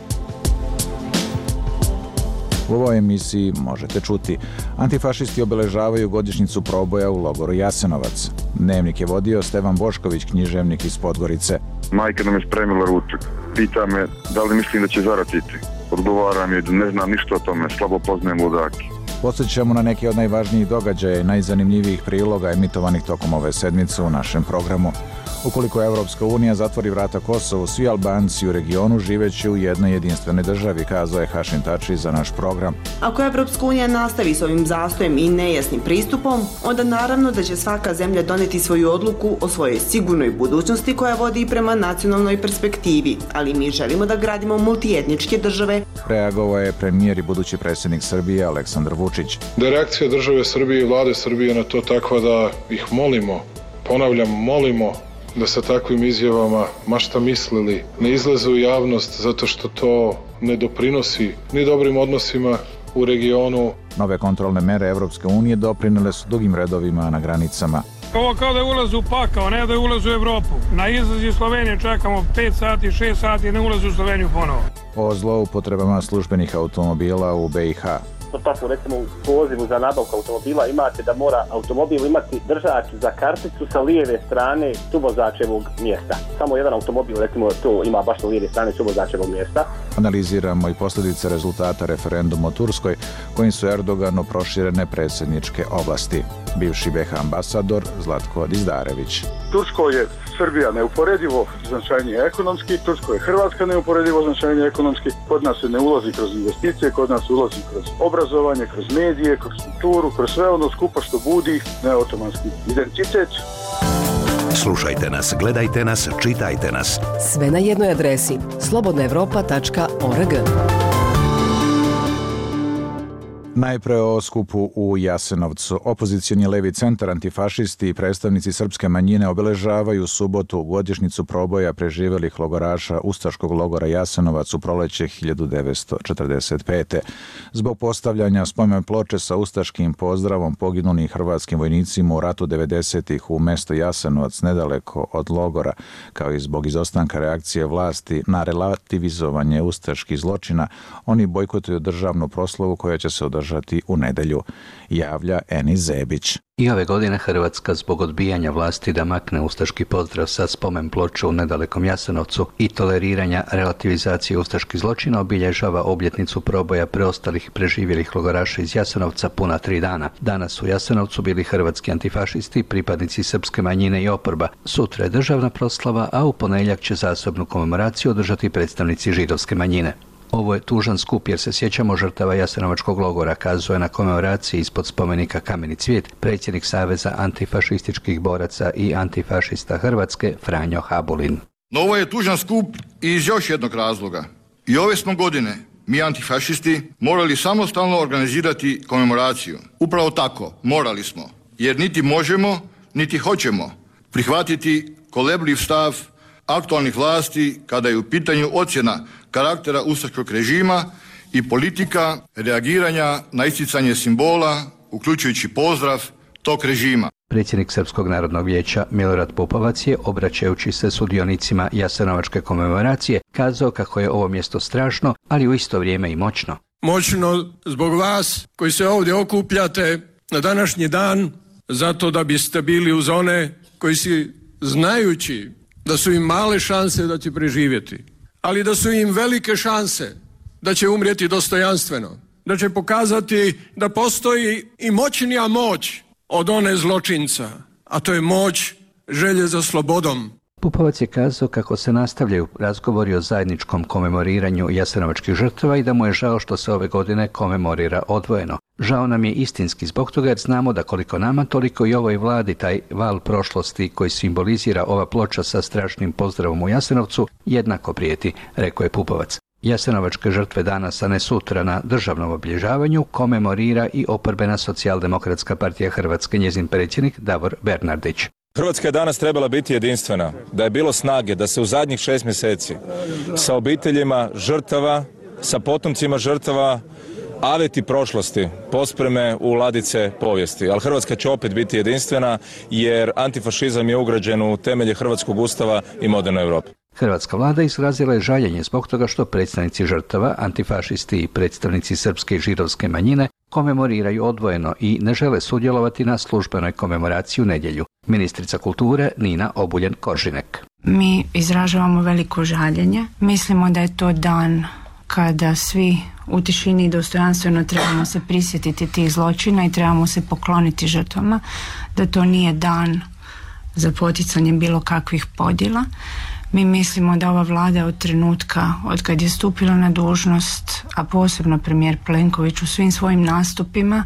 [SPEAKER 1] U ovoj emisiji možete čuti: antifašisti obeležavaju godišnjicu proboja u logoru Jasenovac. Dnevnik je vodio Stevan Bošković, književnik iz Podgorice.
[SPEAKER 10] Majka nam je spremila ručak. Pita me da li mislim da će zaratiti. Odgovaram je da ne znam ništa o tome, slabo poznajem ludaki.
[SPEAKER 1] Podsjećamo na neke od najvažnijih događaja i najzanimljivijih priloga emitovanih tokom ove sedmice u našem programu. Ukoliko Evropska unija zatvori vrata Kosovu, svi Albanci u regionu živeće u jednoj jedinstvenoj državi, kazao je Hašim Tači za naš program.
[SPEAKER 11] Ako Evropska unija nastavi s ovim zastojem i nejasnim pristupom, onda naravno da će svaka zemlja doneti svoju odluku o svojoj sigurnoj budućnosti koja vodi prema nacionalnoj perspektivi, ali mi želimo da gradimo multietničke države.
[SPEAKER 1] Reagovao je premijer i budući predsjednik Srbije Aleksandar Vučić.
[SPEAKER 12] Da je reakcija države Srbije i vlade Srbije na to takva da ih molimo, ponavljam, molimo da sa takvim izjavama, ma šta mislili, ne izlaze u javnost zato što to ne doprinosi ni dobrim odnosima u regionu.
[SPEAKER 1] Nove kontrolne mere Evropske unije doprinele su dugim redovima na granicama.
[SPEAKER 13] Ovo kao da je ulaz u pakao, ne da je ulaz u Evropu. Na izlaz iz Slovenije čekamo 5 sati, 6 sati, ne ulaz u Sloveniju ponovo.
[SPEAKER 1] O zloupotrebama službenih automobila u BiH.
[SPEAKER 14] Tako, recimo u pozivu za nabavku automobila imate da mora automobil imati držač za karticu sa lijeve strane suvozačevog mjesta. Samo jedan automobil, recimo, to ima baš na lijeve strane suvozačevog mjesta.
[SPEAKER 1] Analiziramo i posljedice rezultata referenduma o Turskoj, kojim su Erdoganu proširene predsjedničke oblasti. Bivši BiH ambasador Zlatko Dizdarević.
[SPEAKER 16] Turskoj je Srbija neuporedivo značajnije ekonomski, Turskoj je Hrvatska neuporedivo značajnije ekonomski, kod nas se ne ulazi kroz investicije, kod nas ulazi kroz obrazovanje, kroz medije, kroz kulturu, kroz sve ono skupa što budi neotomanski identitet.
[SPEAKER 8] Slušajte nas, gledajte nas, čitajte nas.
[SPEAKER 29] Sve na jednoj adresi slobodnaevropa.org.
[SPEAKER 1] Najpre o skupu u Jasenovcu. Opozicioni levi centar, antifašisti i predstavnici srpske manjine obeležavaju subotu godišnjicu proboja preživelih logoraša ustaškog logora Jasenovac u proleće 1945. Zbog postavljanja spomen ploče sa ustaškim pozdravom poginulim hrvatskim vojnicima u ratu 90-ih u mesto Jasenovac nedaleko od logora, kao i zbog izostanka reakcije vlasti na relativizovanje ustaških zločina, oni bojkotuju državnu proslavu koja će se održati u nedelju, javlja Enis Zebić.
[SPEAKER 6] I ove godine Hrvatska zbog odbijanja vlasti da makne ustaški pozdrav sa spomen ploče u nedalekom Jasenovcu i toleriranja relativizacije ustaških zločina obilježava obljetnicu proboja preostalih preživjelih logoraša iz Jasenovca puna 3 dana. Danas u Jasenovcu bili hrvatski antifašisti, pripadnici srpske manjine i oporba. Sutra je državna proslava, a u ponedjeljak će zasebnu komemoraciju održati predstavnici židovske manjine. Ovo je tužan skup jer se sjećamo žrtava Jasenovačkog logora, kazuje na komemoraciji ispod spomenika Kameni cvijet predsjednik Saveza antifašističkih boraca i antifašista Hrvatske Franjo Habulin.
[SPEAKER 30] No ovo je tužan skup i iz još jednog razloga. I ove smo godine, mi antifašisti, morali samostalno organizirati komemoraciju. Upravo tako, morali smo, jer niti možemo, niti hoćemo prihvatiti kolebljiv stav aktualnih vlasti kada je u pitanju ocjena karaktera ustaškog režima i politika reagiranja na isticanje simbola, uključujući pozdrav, tog režima.
[SPEAKER 6] Predsjednik Srpskog narodnog vijeća Milorad Pupovac je, obraćajući se sudionicima Jasenovačke komemoracije, kazao kako je ovo mjesto strašno, ali u isto vrijeme i moćno.
[SPEAKER 2] Moćno zbog vas koji se ovdje okupljate na današnji dan, zato da biste bili uz one koji si, znajući da su im male šanse da će preživjeti, ali da su im velike šanse da će umrijeti dostojanstveno, da će pokazati da postoji i moćnija moć od one zločinca, a to je moć želje za slobodom.
[SPEAKER 6] Pupovac je kazao kako se nastavljaju razgovori o zajedničkom komemoriranju jasenovačkih žrtava i da mu je žao što se ove godine komemorira odvojeno. Žao nam je istinski zbog toga jer znamo da koliko nama, toliko i ovoj vladi taj val prošlosti koji simbolizira ova ploča sa strašnim pozdravom u Jasenovcu jednako prijeti, rekao je Pupovac. Jasenovačke žrtve danas, a ne sutra na državnom obilježavanju, komemorira i oporbena Socijaldemokratska partija Hrvatske, njezin predsjednik Davor Bernardić.
[SPEAKER 3] Hrvatska je danas trebala biti jedinstvena, da je bilo snage da se u zadnjih 6 mjeseci sa obiteljima žrtava, sa potomcima žrtava, aveti prošlosti pospreme u ladice povijesti. Ali Hrvatska će opet biti jedinstvena jer antifašizam je ugrađen u temelje Hrvatskog ustava i moderne Europe.
[SPEAKER 6] Hrvatska vlada izrazila je žaljenje zbog toga što predstavnici žrtava, antifašisti i predstavnici srpske i židovske manjine komemoriraju odvojeno i ne žele sudjelovati na službenoj komemoraciji u nedjelju. Ministrica kulture Nina Obuljen-Koržinek.
[SPEAKER 4] Mi izražavamo veliko žaljenje. Mislimo da je to dan kada svi u tišini i dostojanstveno trebamo se prisjetiti tih zločina i trebamo se pokloniti žrtvama, da to nije dan za poticanje bilo kakvih podjela. Mi mislimo da ova vlada od trenutka od kad je stupila na dužnost, a posebno premijer Plenković u svim svojim nastupima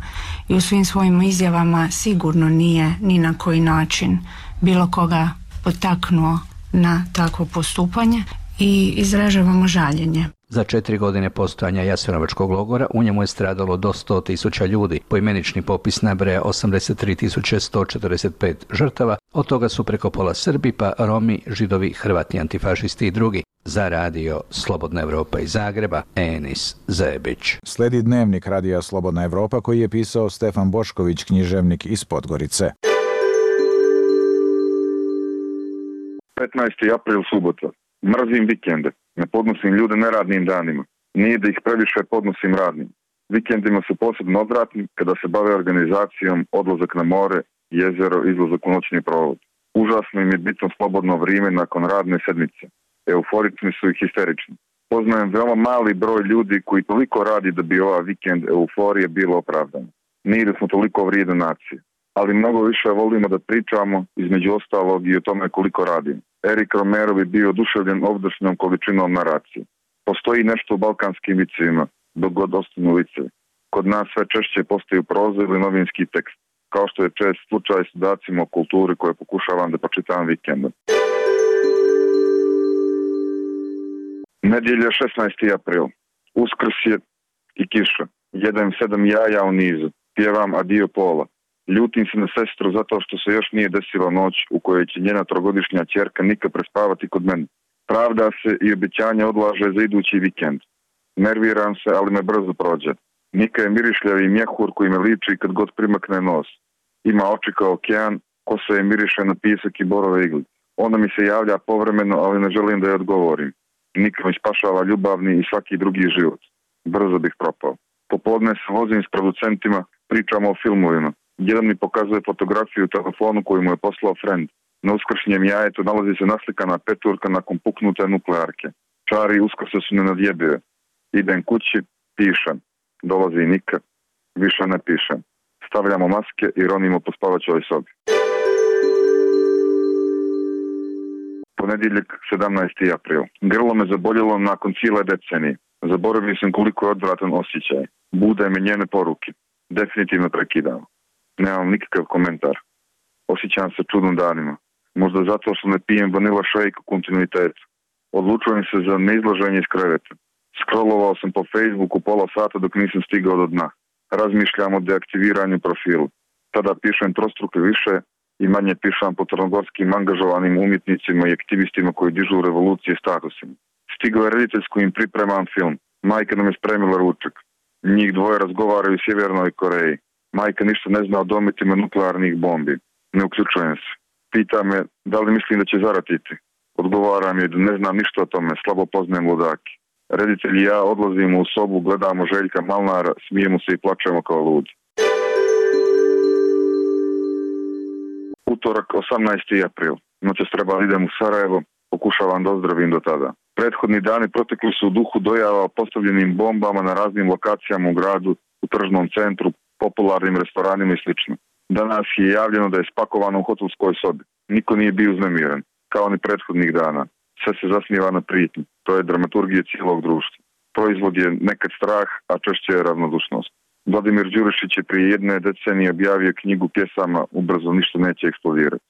[SPEAKER 4] i u svim svojim izjavama sigurno nije ni na koji način bilo koga potaknuo na takvo postupanje i izražavamo žaljenje.
[SPEAKER 6] Za 4 godine postojanja Jasenovačkog logora u njemu je stradalo do 100.000 ljudi. Poimenični popis nabraja 83.145 žrtava, od toga su preko pola Srbi, pa Romi, Židovi, Hrvati, antifašisti i drugi. Za radio Slobodna Evropa iz Zagreba, Enis Zebić.
[SPEAKER 1] Sledi dnevnik radija Slobodna Evropa koji je pisao Stefan Bošković, književnik iz Podgorice.
[SPEAKER 10] 15. april, subota. Mrzim vikende. Ne podnosim ljude neradnim danima. Nije da ih previše podnosim radnim. Vikendima su posebno odvratni kada se bave organizacijom, odlazak na more, jezero, izlazak u noćni provod. Užasno im je bitno slobodno vrijeme nakon radne sedmice. Euforični su i histerični. Poznajem veoma mali broj ljudi koji toliko radi da bi ova vikend euforije bilo opravdana. Nije da smo toliko vrijedne nacije. Ali mnogo više volimo da pričamo, između ostalog i o tome koliko radimo. Erik Romero bi bio oduševljen ovdašnjom količinom naracije. Postoji nešto u balkanskim vicevima, dok god ostanu vicevi. Kod nas sve češće postaju proza ili novinski tekst, kao što je čest slučaj s dodacima o kulturi koje pokušavam da pročitam vikendom. Nedjelja 16. april. Uskrs je i kiša. Jedem 7 jaja u nizu. Pjevam adio pola. Ljutim se na sestru zato što se još nije desila noć u kojoj će njena 3-godišnja ćerka Nika prespavati kod mene. Pravda se i obećanje odlaže za idući vikend. Nerviram se, ali me brzo prođe. Nika je mirišljavi mjehur koji me liči kad god primakne nos. Ima oči kao okean, kosa je miriše na pisak i borove igli. Ona mi se javlja povremeno, ali ne želim da je odgovorim. Nika mi spašava ljubavni i svaki drugi život. Brzo bih propao. Popodne se vozim s producentima, pričamo o filmovima. Jedan mi pokazuje fotografiju u telefonu koju mu je poslao friend. Na uskršnjem jajetu nalazi se naslikana peturka nakon puknute nuklearke. Čari uskrse su nenadjebive. Idem kući, pišem. Dolazi Nika, više ne pišem. Stavljamo maske i ronimo po spavaćoj sobi. Ponedjeljak, 17. april. Grlo me zaboljelo nakon cijele decenije. Zaboravio sam koliko je odvratan osjećaj. Bude me njene poruke. Definitivno prekidamo. Nemam nikakav komentar. Osjećam se čudno danima. Možda zato što ne pijem vanila shake u kontinuitetu. Odlučujem se za neizlaženje iz kreveta. Scrollovao sam po Facebooku pola sata dok nisam stigao do dna. Razmišljam o deaktiviranju profilu. Tada pišem trostruke više i manje pišem po crnogorskim angažovanim umjetnicima i aktivistima koji dižu revolucije statusima. Stigao je reditelj s kojim pripremam film. Majka nam je spremila ručak. Njih dvoje razgovaraju u Sjevernoj Koreji. Majka ništa ne zna o dometima nuklearnih bombi. Ne uključujem se. Pita me da li mislim da će zaratiti. Odgovaram je da ne znam ništa o tome, slabo poznajem ludaki. Reditelj i ja odlazimo u sobu, gledamo Željka Malnara, smijemo se i plačemo kao ludi. Utorak, 18. april. Noćas trebali idem u Sarajevo, pokušavam da ozdravim do tada. Prethodni dani protekli su u duhu dojava o postavljenim bombama na raznim lokacijama u gradu, u tržnom centru, popularnim restoranima i sl. Danas je javljeno da je spakovano u hotelskoj sobi. Niko nije bio uznemiren, kao ni prethodnih dana. Sve se zasniva na prijetnji. To je dramaturgija cijelog društva. Proizvod je nekad strah, a češće je ravnodušnost. Vladimir Đurišić je prije jedne decenije objavio knjigu pjesama Ubrzo ništa neće eksplodirati.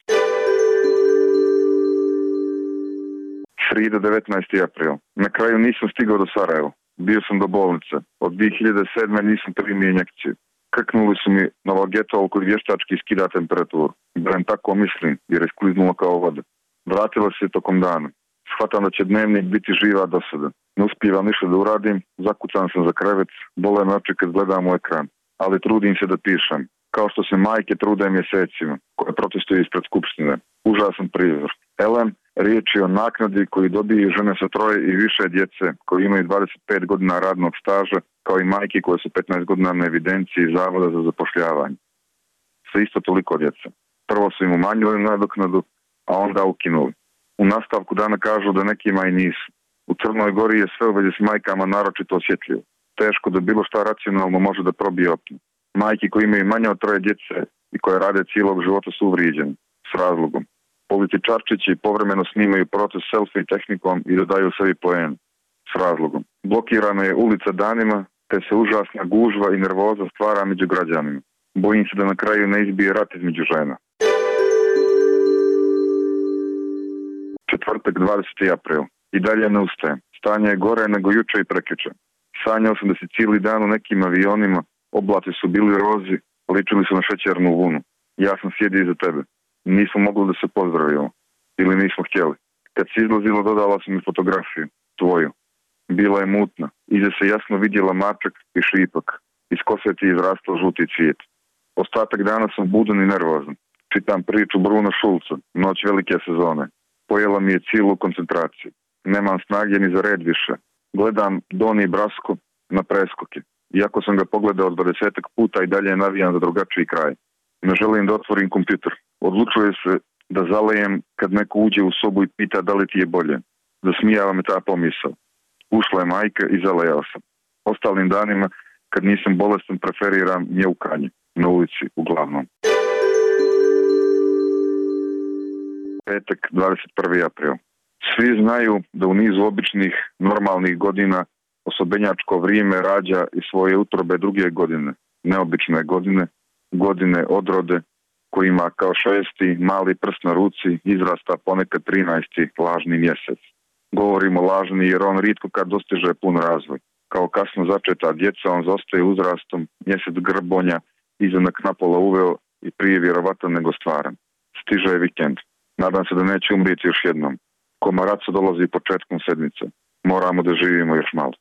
[SPEAKER 10] Srida, 19. april. Na kraju nisam stigao do Sarajeva. Bio sam do bolnice. Od 2007. nisam primio injekciju. Krknuli su mi Novogetol koji vještački skida temperaturu. Barem tako mislim, jer je skliznula kao voda. Vratila se tokom dana. Shvatam da će dnevnik biti živa dosada. Ne uspijevam ništa da uradim, zakucan sam za krevet, bole me oči kad gledam u ekran. Ali trudim se da pišem. Kao što se majke trude mjesecima, koje protestuju ispred skupštine. Užasan prizor. Elem, riječ je o naknadi koju dobiju žene sa 3 i više djece, koji imaju 25 godina radnog staža, kao i majke koje su 15 godina na evidenciji Zavoda za zapošljavanje. Sve isto toliko djece. Prvo su im umanjili nadoknadu, a onda ukinuli. U nastavku dana kažu da nekima i nisu. U Crnoj Gori je sve u vezi s majkama naročito osjetljivo. Teško da bilo šta racionalno može da probije opnu. Majke koji imaju manje od 3 djece i koje rade cijelog života su uvrijeđeni. S razlogom. Političarčići povremeno snimaju protest selfie tehnikom i dodaju sebi poen. S razlogom. Blokirana je ulica danima, te se užasna gužva i nervoza stvara među građanima. Bojim se da na kraju ne izbije rat između žena. Četvrtak, 20. april. I dalje ne ustajem. Stanje je gore nego juče i prekjuče. Sanjao sam da si cijeli dan u nekim avionima, oblati su bili rozi, ličili su na šećernu vunu. Ja sam sjedio iza tebe. Nismo mogli da se pozdravimo. Ili nismo htjeli. Kad si izlazila, dodala sam mi fotografiju. Tvoju. Bila je mutna. Iza se jasno vidjela mačak i šipak. Iz kose ti je izrastao žuti cvijet. Ostatak dana sam budan i nervozan. Čitam priču Bruna Šulca, Noć velike sezone. Pojela mi je cijelu koncentraciju. Nemam snage ni za red više. Gledam Doni Brasko na preskoke. Iako sam ga pogledao 20 puta i dalje navijam za drugačiji kraj. Ne želim da otvorim kompjuter. Odlučuje se da zalejem kad neko uđe u sobu i pita da li ti je bolje. Zasmijava me ta pomisao. Ušla je majka i zalejao sam. Ostalim danima, kad nisam bolestan, preferiram mjeukanje. Na ulici, uglavnom. Petak, 21. april. Svi znaju da u nizu običnih, normalnih godina osobenjačko vrijeme rađa i svoje utrobe druge godine. Neobične godine, godine odrode, koji ima kao 6. mali prst na ruci izrasta ponekad 13. lažni mjesec. Govorimo lažni jer on rijetko kad dostiže pun razvoj. Kao kasno začeta djeca on zostaje uzrastom, mjesec grbonja, izanak napola uveo i prije vjerovatan nego stvaran. Stiže je vikend. Nadam se da neće umrijeti još jednom. Komaraco dolazi početkom sedmice. Moramo da živimo još malo.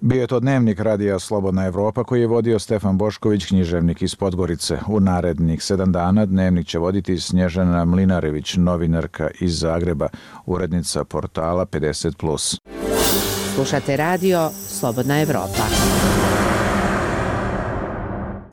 [SPEAKER 1] Bio je to dnevnik Radija Slobodna Evropa koji je vodio Stefan Bošković, književnik iz Podgorice. U narednih 7 dana dnevnik će voditi Snježana Mlinarević, novinarka iz Zagreba, urednica portala 50+.
[SPEAKER 15] Slušate radio Slobodna Evropa.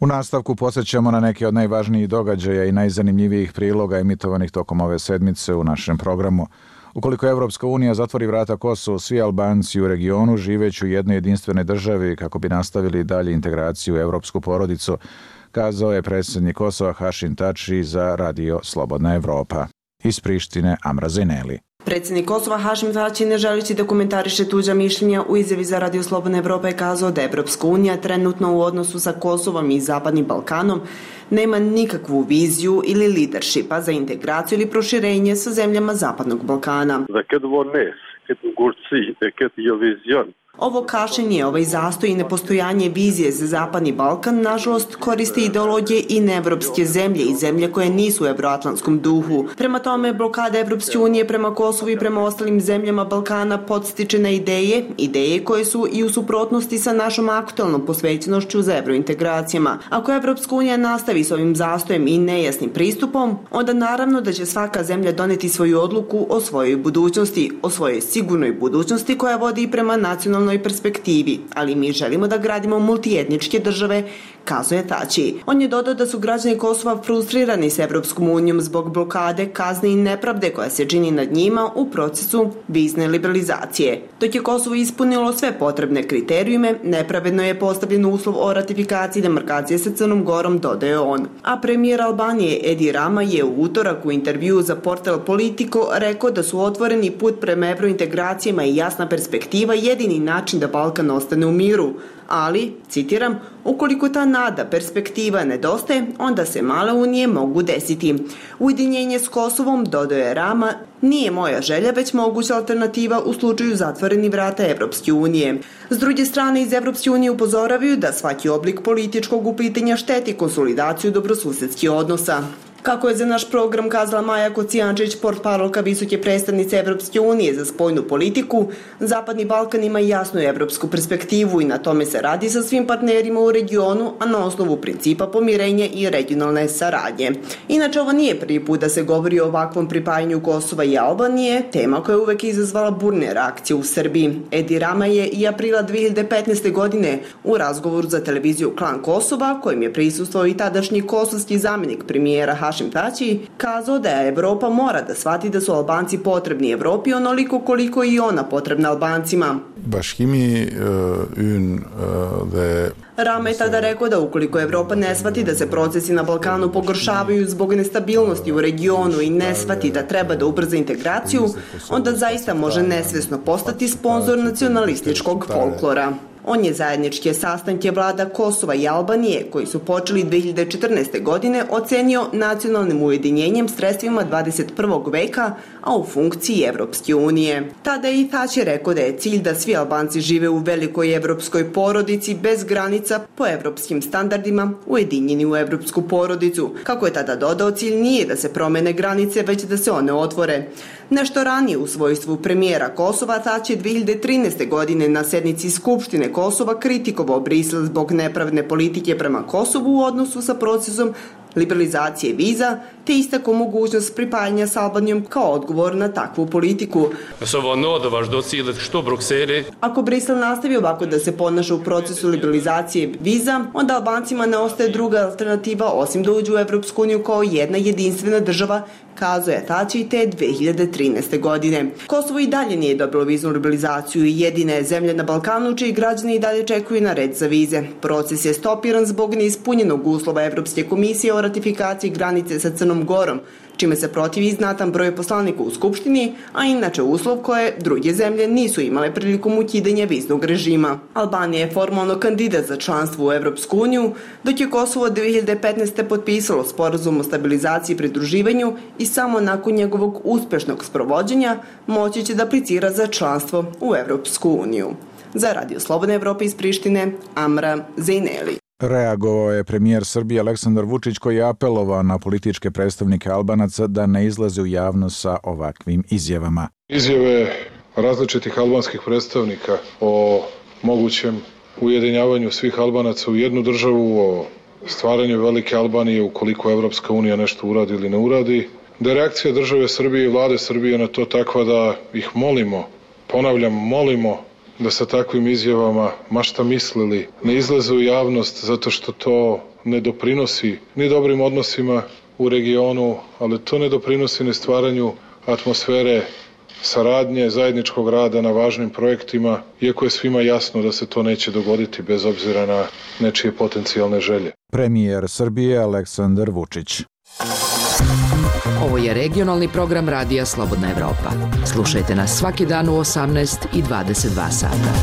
[SPEAKER 1] U nastavku podsjećamo na neke od najvažnijih događaja i najzanimljivijih priloga emitovanih tokom ove sedmice u našem programu. Ukoliko Evropska unija zatvori vrata Kosovu, svi Albanci u regionu živeći u jednoj jedinstvenoj državi kako bi nastavili dalje integraciju u evropsku porodicu, kazao je predsjednik Kosova Hašim Tači za Radio Slobodna Evropa. Iz Prištine Amra Zeneli.
[SPEAKER 11] Predsjednik Kosova Hašim Tači, ne želeći da komentariše tuđa mišljenja, u izjavi za Radio Slobodna Evropa je kazao da Evropska unija trenutno u odnosu sa Kosovom i Zapadnim Balkanom nema nikakvu viziju ili leadershipa za integraciju ili proširenje sa zemljama Zapadnog Balkana. Ovo kašnjenje, ovaj zastoj i nepostojanje vizije za Zapadni Balkan, nažalost, koriste ideologije i neevropske zemlje i zemlje koje nisu u evroatlantskom duhu. Prema tome, blokada Evropske unije prema Kosovu i prema ostalim zemljama Balkana podstiče na ideje koje su i u suprotnosti sa našom aktualnom posvećenošću za evrointegracijama. Ako Evropska unija nastavi s ovim zastojem i nejasnim pristupom, onda naravno da će svaka zemlja doneti svoju odluku o svojoj budućnosti, o svojoj sigurnoj budućnosti koja vodi i prema nacionalnoj perspektivi, ali mi želimo da gradimo multietničke države, kazuje Tači. On je dodao da su građani Kosova frustrirani s Evropskom unijom zbog blokade, kazne i nepravde koja se čini nad njima u procesu vizne liberalizacije. Dok je Kosovo ispunilo sve potrebne kriterijume, nepravedno je postavljen uslov o ratifikaciji demarkacije sa Crnom Gorom, dodaje on. A premijer Albanije Edi Rama je u utorak u intervjuu za portal Politico rekao da su otvoreni put prema evrointegracijama i jasna perspektiva jedini način da Balkan ostane u miru. Ali, citiram, ukoliko ta nada, perspektiva nedostaje, onda se male unije mogu desiti. Ujedinjenje s Kosovom, dodaje Rama, nije moja želja, već moguća alternativa u slučaju zatvorenih vrata Evropske unije. S druge strane, iz Evropske unije upozoravaju da svaki oblik političkog uplitanja šteti konsolidaciju dobrosusedskih odnosa. Kako je za naš program kazala Maja Kocijančić, portparolka visoke predstavnice Evropske unije za spoljnu politiku, Zapadni Balkan ima jasnu evropsku perspektivu i na tome se radi sa svim partnerima u regionu, a na osnovu principa pomirenja i regionalne saradnje. Inače, ovo nije prvi put da se govori o ovakvom pripajanju Kosova i Albanije, tema koja je uvek izazvala burne reakcije u Srbiji. Edi Rama je i aprila 2015. godine u razgovoru za televiziju Klan Kosova, kojim je prisustvovao i tadašnji kosovski zamjenik premijera Hašim Tači, kazao da Evropa mora da shvati da su Albanci potrebni Evropi onoliko koliko i ona potrebna Albancima. Rama je tada rekao da ukoliko Evropa ne shvati da se procesi na Balkanu pogoršavaju zbog nestabilnosti u regionu i ne shvati da treba da ubrza integraciju, onda zaista može nesvesno postati sponzor nacionalističkog folklora. On je zajedničke sastanke vlada Kosova i Albanije, koji su počeli 2014. godine, ocenio nacionalnim ujedinjenjem sredstvima 21. veka, a u funkciji Evropske unije. Tada je i Tači rekao da je cilj da svi Albanci žive u velikoj evropskoj porodici bez granica po evropskim standardima, ujedinjeni u evropsku porodicu. Kako je tada dodao, cilj nije da se promene granice, već da se one otvore. Nešto ranije u svojstvu premijera Kosova, Tači je 2013. godine na sednici Skupštine Kosova kritikovao Brisel zbog nepravedne politike prema Kosovu u odnosu sa procesom liberalizacije viza, te istakao mogućnost pripajanja s Albanijom kao odgovor na takvu politiku. Ako Brisel nastavi ovako da se ponaša u procesu liberalizacije viza, onda Albancima ne ostaje druga alternativa osim da uđu u Evropsku uniju kao jedna jedinstvena država, kazuje Tači te 2013. godine. Kosovo i dalje nije dobilo viznu liberalizaciju i jedina je zemlja na Balkanu čiji građani i dalje čekuju na red za vize. Proces je stopiran zbog neispunjenog uslova Evropske komisije o ratifikaciji granice sa Crnom Gorom, čime se protivi znatan broj poslanika u Skupštini, a inače uslov koje druge zemlje nisu imale prilikom ukidanja viznog režima. Albanija je formalno kandidat za članstvo u Evropsku uniju, dok je Kosovo 2015. potpisalo sporazum o stabilizaciji i pridruživanju i samo nakon njegovog uspešnog sprovođenja moći će da aplicira za članstvo u Evropsku uniju. Za Radio Slobodne Evrope iz Prištine, Amra Zejneli.
[SPEAKER 1] Reagovao je premijer Srbije Aleksandar Vučić koji je apelovao na političke predstavnike Albanaca da ne izlaze u javnost sa ovakvim izjavama.
[SPEAKER 12] Izjave različitih albanskih predstavnika o mogućem ujedinjavanju svih Albanaca u jednu državu, o stvaranju velike Albanije ukoliko Evropska unija nešto uradi ili ne uradi, da je reakcija države Srbije i vlade Srbije na to takva da ih molimo, ponavljam, molimo da sa takvim izjavama, ma šta mislili, ne izlaze u javnost zato što to ne doprinosi ni dobrim odnosima u regionu, ali to ne doprinosi ni stvaranju atmosfere saradnje, zajedničkog rada na važnim projektima, iako je svima jasno da se to neće dogoditi bez obzira na nečije potencijalne želje.
[SPEAKER 1] Premijer Srbije Aleksandar Vučić.
[SPEAKER 29] Ovo je regionalni program Radija Slobodna Evropa. Slušajte nas svaki dan u 18 i 22 sata.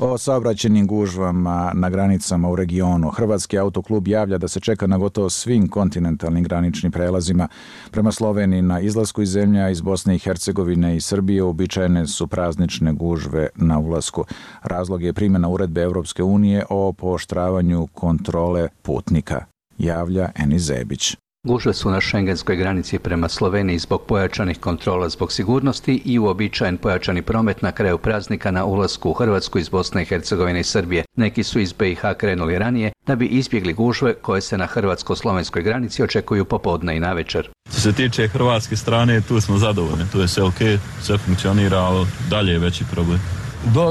[SPEAKER 1] O saobraćajnim gužvama na granicama u regionu. Hrvatski autoklub javlja da se čeka na gotovo svim kontinentalnim graničnim prelazima. Prema Sloveniji na izlasku iz zemlja iz Bosne i Hercegovine i Srbije uobičajene su praznične gužve na ulasku. Razlog je primjena uredbe Europske unije o pooštravanju kontrole putnika, javlja Enis Zebić.
[SPEAKER 6] Gužve su na šengenskoj granici prema Sloveniji zbog pojačanih kontrola zbog sigurnosti i uobičajen pojačani promet na kraju praznika na ulasku u Hrvatsku iz Bosne i Hercegovine i Srbije. Neki su iz BiH krenuli ranije da bi izbjegli gužve koje se na hrvatsko-slovenskoj granici očekuju popodne i navečer.
[SPEAKER 17] Što se tiče hrvatske strane, tu smo zadovoljni, tu je sve ok, sve funkcionira, ali dalje je veći problem.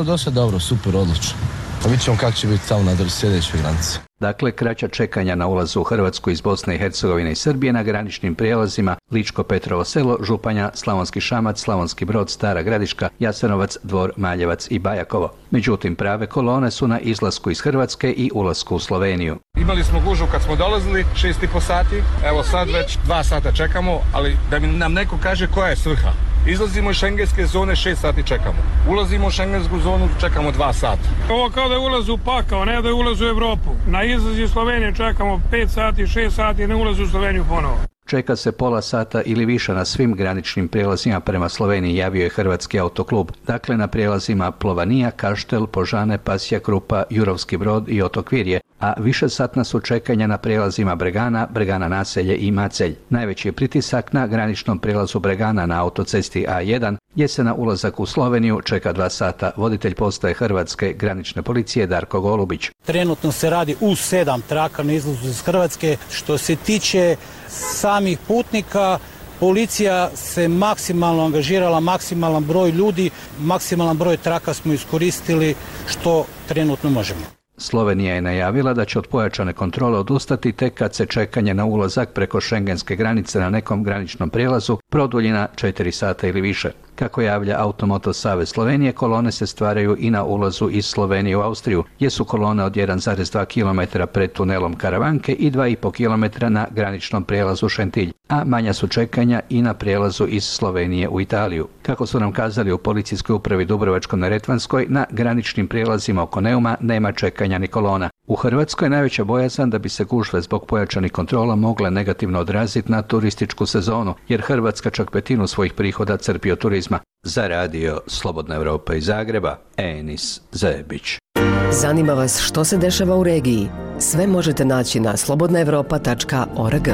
[SPEAKER 18] Dosta dobro, super, odlično. Pa vidjet ćemo kako će biti tamo na sljedećoj granici.
[SPEAKER 6] Dakle, kraća čekanja na ulazu u Hrvatsku iz Bosne i Hercegovine i Srbije na graničnim prijelazima Ličko-Petrovo selo, Županja, Slavonski Šamac, Slavonski Brod, Stara Gradiška, Jasenovac, Dvor, Maljevac i Bajakovo. Međutim, prave kolone su na izlasku iz Hrvatske i ulasku u Sloveniju.
[SPEAKER 19] Imali smo gužvu kad smo dolazili, 6,5 sati, evo sad već 2 sata čekamo, ali da nam neko kaže koja je svrha. Izlazimo iz šengenske zone, 6 sati čekamo. Ulazimo u šengensku zonu, čekamo 2 sata.
[SPEAKER 13] Ovo kao da je ulaz u pakao, ne da je ulaz u Evropu. Na izlaz iz Slovenije čekamo 5 sati, 6 sati, ne ulaz u Sloveniju ponovo.
[SPEAKER 6] Čeka se pola sata ili više na svim graničnim prijelazima prema Sloveniji, javio je Hrvatski autoklub. Dakle, na prijelazima Plovanija, Kaštel, Požane, Pasja Krupa, Jurovski Brod i Otok Virje, a višesatna su čekanja na prijelazima Bregana, Bregana Naselje i Macelj. Najveći je pritisak na graničnom prijelazu Bregana na autocesti A1, gdje se na ulazak u Sloveniju čeka 2 sata. Voditelj postaje Hrvatske granične policije Darko Golubić.
[SPEAKER 20] Trenutno se radi u 7 traka na izlazu iz Hrvatske. Što se tiče samih putnika, policija se maksimalno angažirala, maksimalan broj ljudi, maksimalan broj traka smo iskoristili što trenutno možemo.
[SPEAKER 6] Slovenija je najavila da će od pojačane kontrole odustati tek kad se čekanje na ulazak preko šengenske granice na nekom graničnom prijelazu produlji na 4 sata ili više. Kako javlja Automoto Savez Slovenije, kolone se stvaraju i na ulazu iz Slovenije u Austriju, gdje su kolone od 1,2 km pred tunelom Karavanke i 2,5 km na graničnom prijelazu Šentilj, a manja su čekanja i na prijelazu iz Slovenije u Italiju. Kako su nam kazali u policijskoj upravi Dubrovačko-neretvanskoj, na graničnim prijelazima oko Neuma nema čekanja ni kolona. U Hrvatskoj je najveća bojazan da bi se gužve zbog pojačanih kontrola mogle negativno odraziti na turističku sezonu, jer Hrvatska čak 1/5 svojih prihoda crpi od turizma. Za radio Slobodna Evropa iz Zagreba, Enis Zebić.
[SPEAKER 29] Zanima vas što se dešava u regiji? Sve možete naći na slobodnaevropa.org.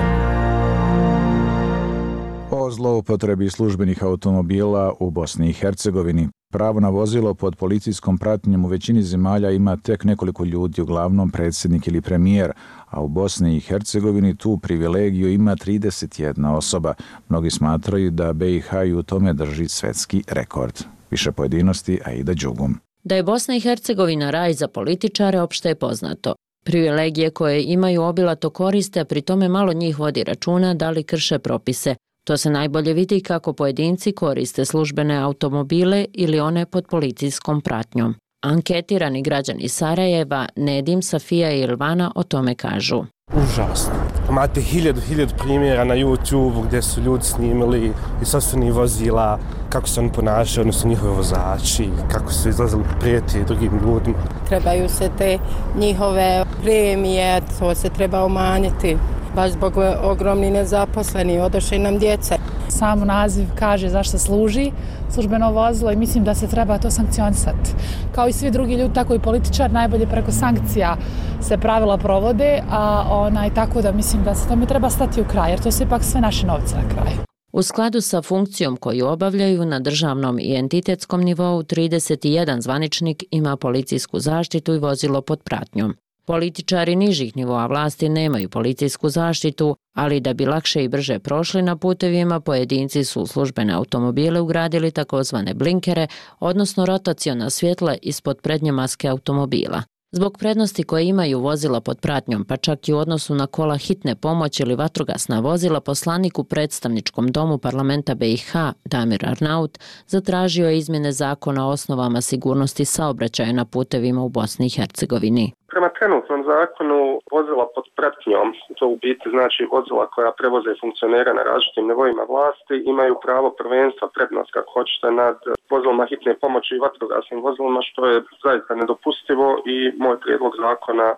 [SPEAKER 1] O zloupotrebi službenih automobila u Bosni i Hercegovini. Pravo na vozilo pod policijskom pratnjom u većini zemalja ima tek nekoliko ljudi, uglavnom predsjednik ili premijer, a u Bosni i Hercegovini tu privilegiju ima 31 osoba. Mnogi smatraju da BiH i u tome drži svetski rekord. Više pojedinosti, Aida Đugum.
[SPEAKER 21] Da je Bosna i Hercegovina raj za političare opšte je poznato. Privilegije koje imaju obilato koriste, a pri tome malo njih vodi računa da li krše propise. To se najbolje vidi kako pojedinci koriste službene automobile ili one pod policijskom pratnjom. Anketirani građani Sarajeva, Nedim, Safija i Ilvana o tome kažu.
[SPEAKER 22] Užasno. Imate hiljadu primjera na YouTube gdje su ljudi snimili iz sopstvenih vozila, kako se oni ponašaju, odnosno njihovi vozači, kako su izlazili prijeti drugim ljudima.
[SPEAKER 23] Trebaju se te njihove premije, to se treba umanjiti. Baš zbog ogromni nezaposleni, odošli nam djeca.
[SPEAKER 25] Sam naziv kaže zašto služi službeno vozilo i mislim da se treba to sankcionisati. Kao i svi drugi ljudi, tako i političar, najbolje preko sankcija se pravila provode, a tako da mislim da se tome treba stati u kraj, jer to su ipak sve naše novce na kraju.
[SPEAKER 21] U skladu sa funkcijom koju obavljaju na državnom i entitetskom nivou, 31 zvaničnik ima policijsku zaštitu i vozilo pod pratnjom. Političari nižih nivoa vlasti nemaju policijsku zaštitu, ali da bi lakše i brže prošli na putevima, pojedinci su u službene automobile ugradili takozvane blinkere, odnosno rotaciona svjetla ispod prednje maske automobila. Zbog prednosti koje imaju vozila pod pratnjom, pa čak i u odnosu na kola hitne pomoći ili vatrogasna vozila, poslanik u predstavničkom domu parlamenta BiH Damir Arnaut zatražio je izmjene zakona o osnovama sigurnosti saobraćaja na putevima u Bosni i Hercegovini.
[SPEAKER 5] Prema trenutnom zakonu vozila pod pratnjom, to u biti znači vozila koja prevoze funkcionera na različitim nivoima vlasti, imaju pravo prvenstva, prednost kako hoćete nad vozilima hitne pomoći i vatrogasnim vozilima, što je zaista nedopustivo i moj prijedlog zakona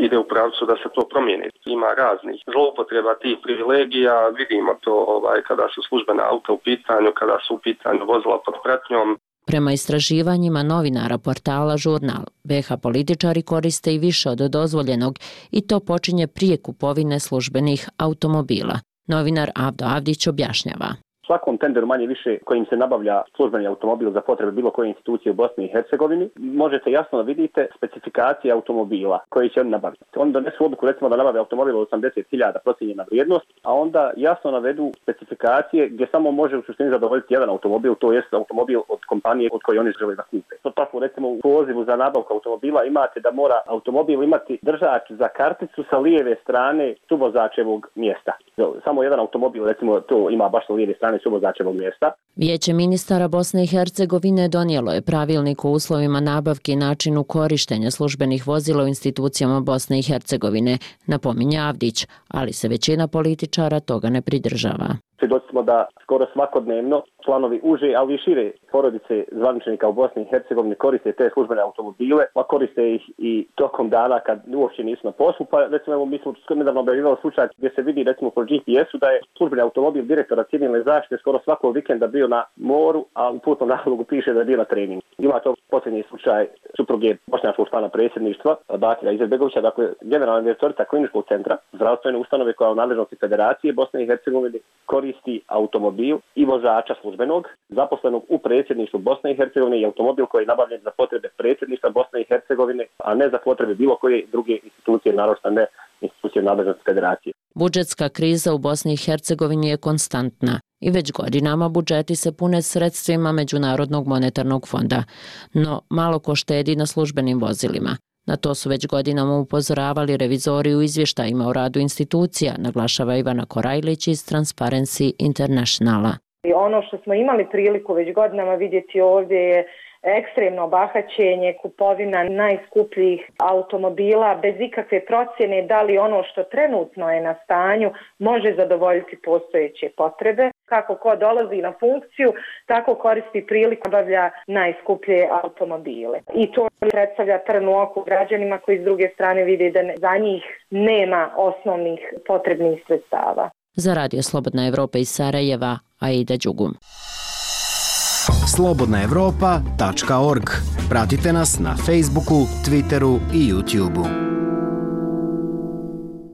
[SPEAKER 5] ide u pravcu da se to promijeni. Ima raznih zloupotreba tih privilegija, vidimo to kada su službena auta u pitanju, kada su u pitanju vozila pod pratnjom.
[SPEAKER 21] Prema istraživanjima novinara portala Žurnal, BiH političari koriste i više od dozvoljenog i to počinje prije kupovine službenih automobila. Novinar Avdo Avdić objašnjava.
[SPEAKER 7] Svakom tenderu manje više kojim se nabavlja službeni automobil za potrebe bilo koje institucije u Bosni i Hercegovini, možete jasno da vidite specifikacije automobila koji će oni nabaviti. Oni donesu odluku recimo da nabave automobil od 80.000 procijenjena vrijednost, a onda jasno navedu specifikacije gdje samo može u suštini zadovoljiti jedan automobil, to jest automobil od kompanije od koje oni žele da kupe. To tako recimo u pozivu za nabavku automobila imate da mora automobil imati držač za karticu sa lijeve strane suvozačevog mjesta. Samo jedan automobil recimo to ima baš sa lijeve strane suvozačevog mjesta.
[SPEAKER 21] Vijeće ministara Bosne i Hercegovine donijelo je pravilnik o uslovima nabavke i načinu korištenja službenih vozila u institucijama Bosne i Hercegovine, napominje Avdić, ali se većina političara toga ne pridržava.
[SPEAKER 7] Svjedoci smo da skoro svakodnevno članovi uže, ali i šire porodice zvaničnika u Bosni i Hercegovini koriste te službene automobile, pa koriste ih i tokom dana kad uopće nisu na poslu. Pa recimo mi smo nedavno objavljivali slučaj gdje se vidi recimo po GPS-u da je službeni automobil direktora civilne zaštite skoro svakog vikenda bio na moru, a u putnom nalogu piše da je bio na treningu. Ima to posljednji slučaj supruge bošnjačkog člana predsjedništva, Bakira Izetbegovića, dakle generalna direktorica kliničkog centra, zdravstvene ustanove koja je u nadležnosti Federacije Bosne i Hercegovine koristi automobil i vozača službenog, zaposlenog u predsjedništvu Bosne i Hercegovine i automobil koji je nabavljen za potrebe predsjedništva Bosne i Hercegovine, a ne za potrebe bilo koje druge institucije, naročito ne institucije nadležnosti Federacije.
[SPEAKER 21] Budžetska kriza u Bosni i Hercegovini je konstantna i već godinama budžeti se pune sredstvima Međunarodnog monetarnog fonda, no malo ko štedi na službenim vozilima. Na to su već godinama upozoravali revizori u izvještajima o radu institucija, naglašava Ivana Korajlić iz Transparency Internationala.
[SPEAKER 8] Ono što smo imali priliku već godinama vidjeti ovdje je ekstremno bahaćenje, kupovina najskupljih automobila bez ikakve procjene da li ono što trenutno je na stanju može zadovoljiti postojeće potrebe. Kako ko dolazi na funkciju, tako koristi priliku da obavlja najskuplje automobile. I to predstavlja trn u oku građanima koji s druge strane vide da za njih nema osnovnih potrebnih sredstava.
[SPEAKER 21] Za Radio Slobodna Evropa iz Sarajeva, Aida Đugum.
[SPEAKER 9] slobodnaevropa.org. Pratite nas na Facebooku, Twitteru i YouTubeu.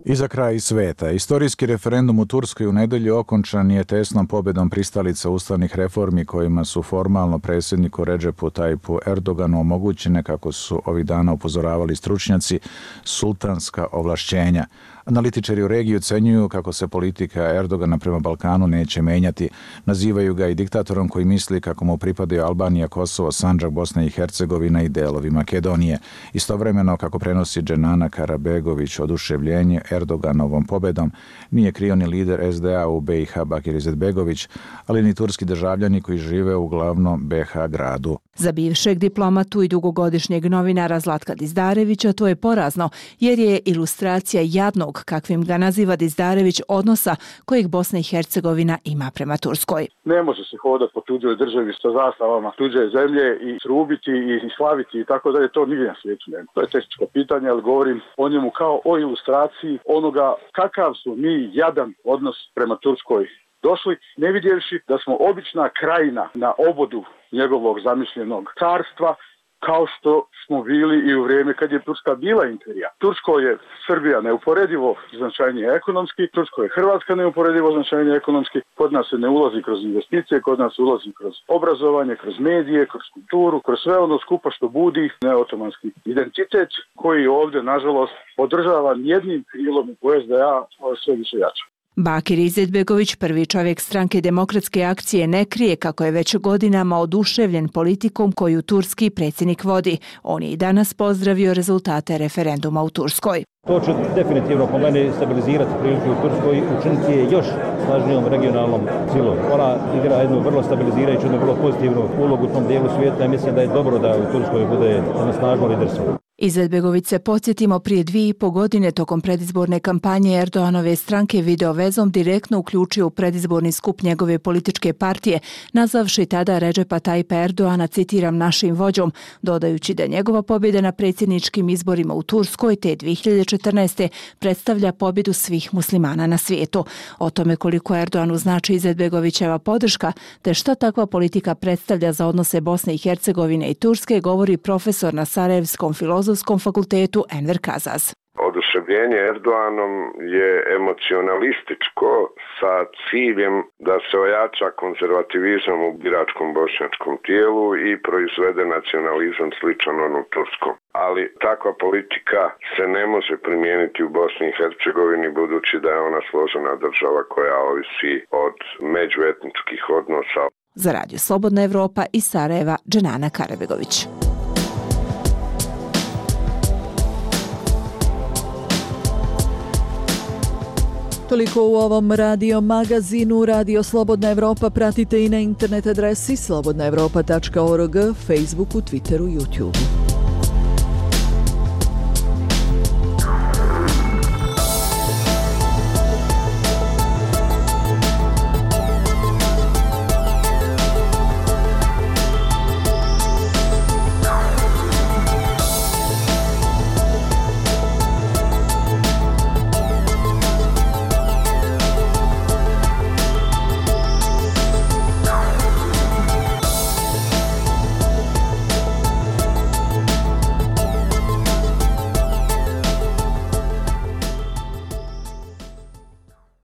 [SPEAKER 1] I za kraj sveta. Istorijski referendum u Turskoj u nedjelju okončan je tesnom pobjedom pristalica ustavnih reformi kojima su formalno predsjedniku Redžepu Tajpu Erdoganu omogućene, kako su ovih dana upozoravali stručnjaci, sultanska ovlašćenja. Analitičari u regiji ocenjuju kako se politika Erdogana prema Balkanu neće menjati. Nazivaju ga i diktatorom koji misli kako mu pripadaju Albanija, Kosovo, Sandžak, Bosna i Hercegovina i delovi Makedonije. Istovremeno, kako prenosi Dženana Karabegović, oduševljenje Erdoganovom pobedom nije krio ni lider SDA u BiH Bakir Izetbegović, ali ni turski državljani koji žive u glavnom BiH gradu.
[SPEAKER 14] Za bivšeg diplomatu i dugogodišnjeg novinara Zlatka Dizdarevića to je porazno, jer je ilustracija jadnog, kakvim ga naziva Dizdarević, odnosa kojeg Bosna i Hercegovina ima prema Turskoj.
[SPEAKER 16] Ne može se hodati po tuđoj državi sa zastavama tuđe zemlje i trubiti i slaviti i tako dalje, to nigdje na svijetu nema. To je tehničko pitanje, ali govorim o njemu kao o ilustraciji onoga kakav su mi jadan odnos prema Turskoj došli, ne vidjevši da smo obična krajina na obodu njegovog zamišljenog carstva, kao što smo bili i u vrijeme kad je Turska bila imperija. Tursko je Srbija neuporedivo značajnije ekonomski, Tursko je Hrvatska neuporedivo značajnije ekonomski, kod nas se ne ulazi kroz investicije, kod nas ulazi kroz obrazovanje, kroz medije, kroz kulturu, kroz sve ono skupa što budi neotomanski identitet koji ovdje, nažalost, podržava jednim krilom u SDA sve više jače.
[SPEAKER 14] Bakir Izetbegović, prvi čovjek stranke Demokratske akcije, ne krije kako je već godinama oduševljen politikom koju turski predsjednik vodi. On je i danas pozdravio rezultate referenduma u Turskoj.
[SPEAKER 2] To će definitivno po meni stabilizirati prilike u Turskoj i učiniti je još snažnijom regionalnom silom. Ona igra jednu vrlo stabilizirajuću, jednu vrlo pozitivnu ulogu u tom dijelu svijeta i mislim da je dobro da u Turskoj bude jedno snažno liderstvo.
[SPEAKER 14] Izetbegović se, podsjetimo, prije 2,5 godine tokom predizborne kampanje Erdoganove stranke video vezom direktno uključio u predizborni skup njegove političke partije, nazvavši tada Redžepa Tajpa Erdogana, citiram, našim vođom, dodajući da njegova pobjeda na predsjedničkim izborima u Turskoj te 2014. predstavlja pobjedu svih muslimana na svijetu. O tome koliko Erdoganu znači Izetbegovićeva podrška, te šta takva politika predstavlja za odnose Bosne i Hercegovine i Turske, govori profesor na Sarajevskom Filozofskom fakultetu Enver Kazaz.
[SPEAKER 3] Oduševljenje Erdoganom je emocionalističko sa ciljem da se ojača konzervativizam u biračkom bošnjačkom tijelu i proizvede nacionalizam sličan onom turskom. Ali takva politika se ne može primijeniti u Bosni i Hercegovini budući da je ona složena država koja ovisi od međuetničkih odnosa.
[SPEAKER 14] Za Radio Slobodna Evropa iz Sarajeva, Dženana Karabegović.
[SPEAKER 4] Toliko u ovom radio magazinu. Radio Slobodna Evropa pratite i na internet adresi slobodnaevropa.org, Facebooku, Twitteru, YouTubeu.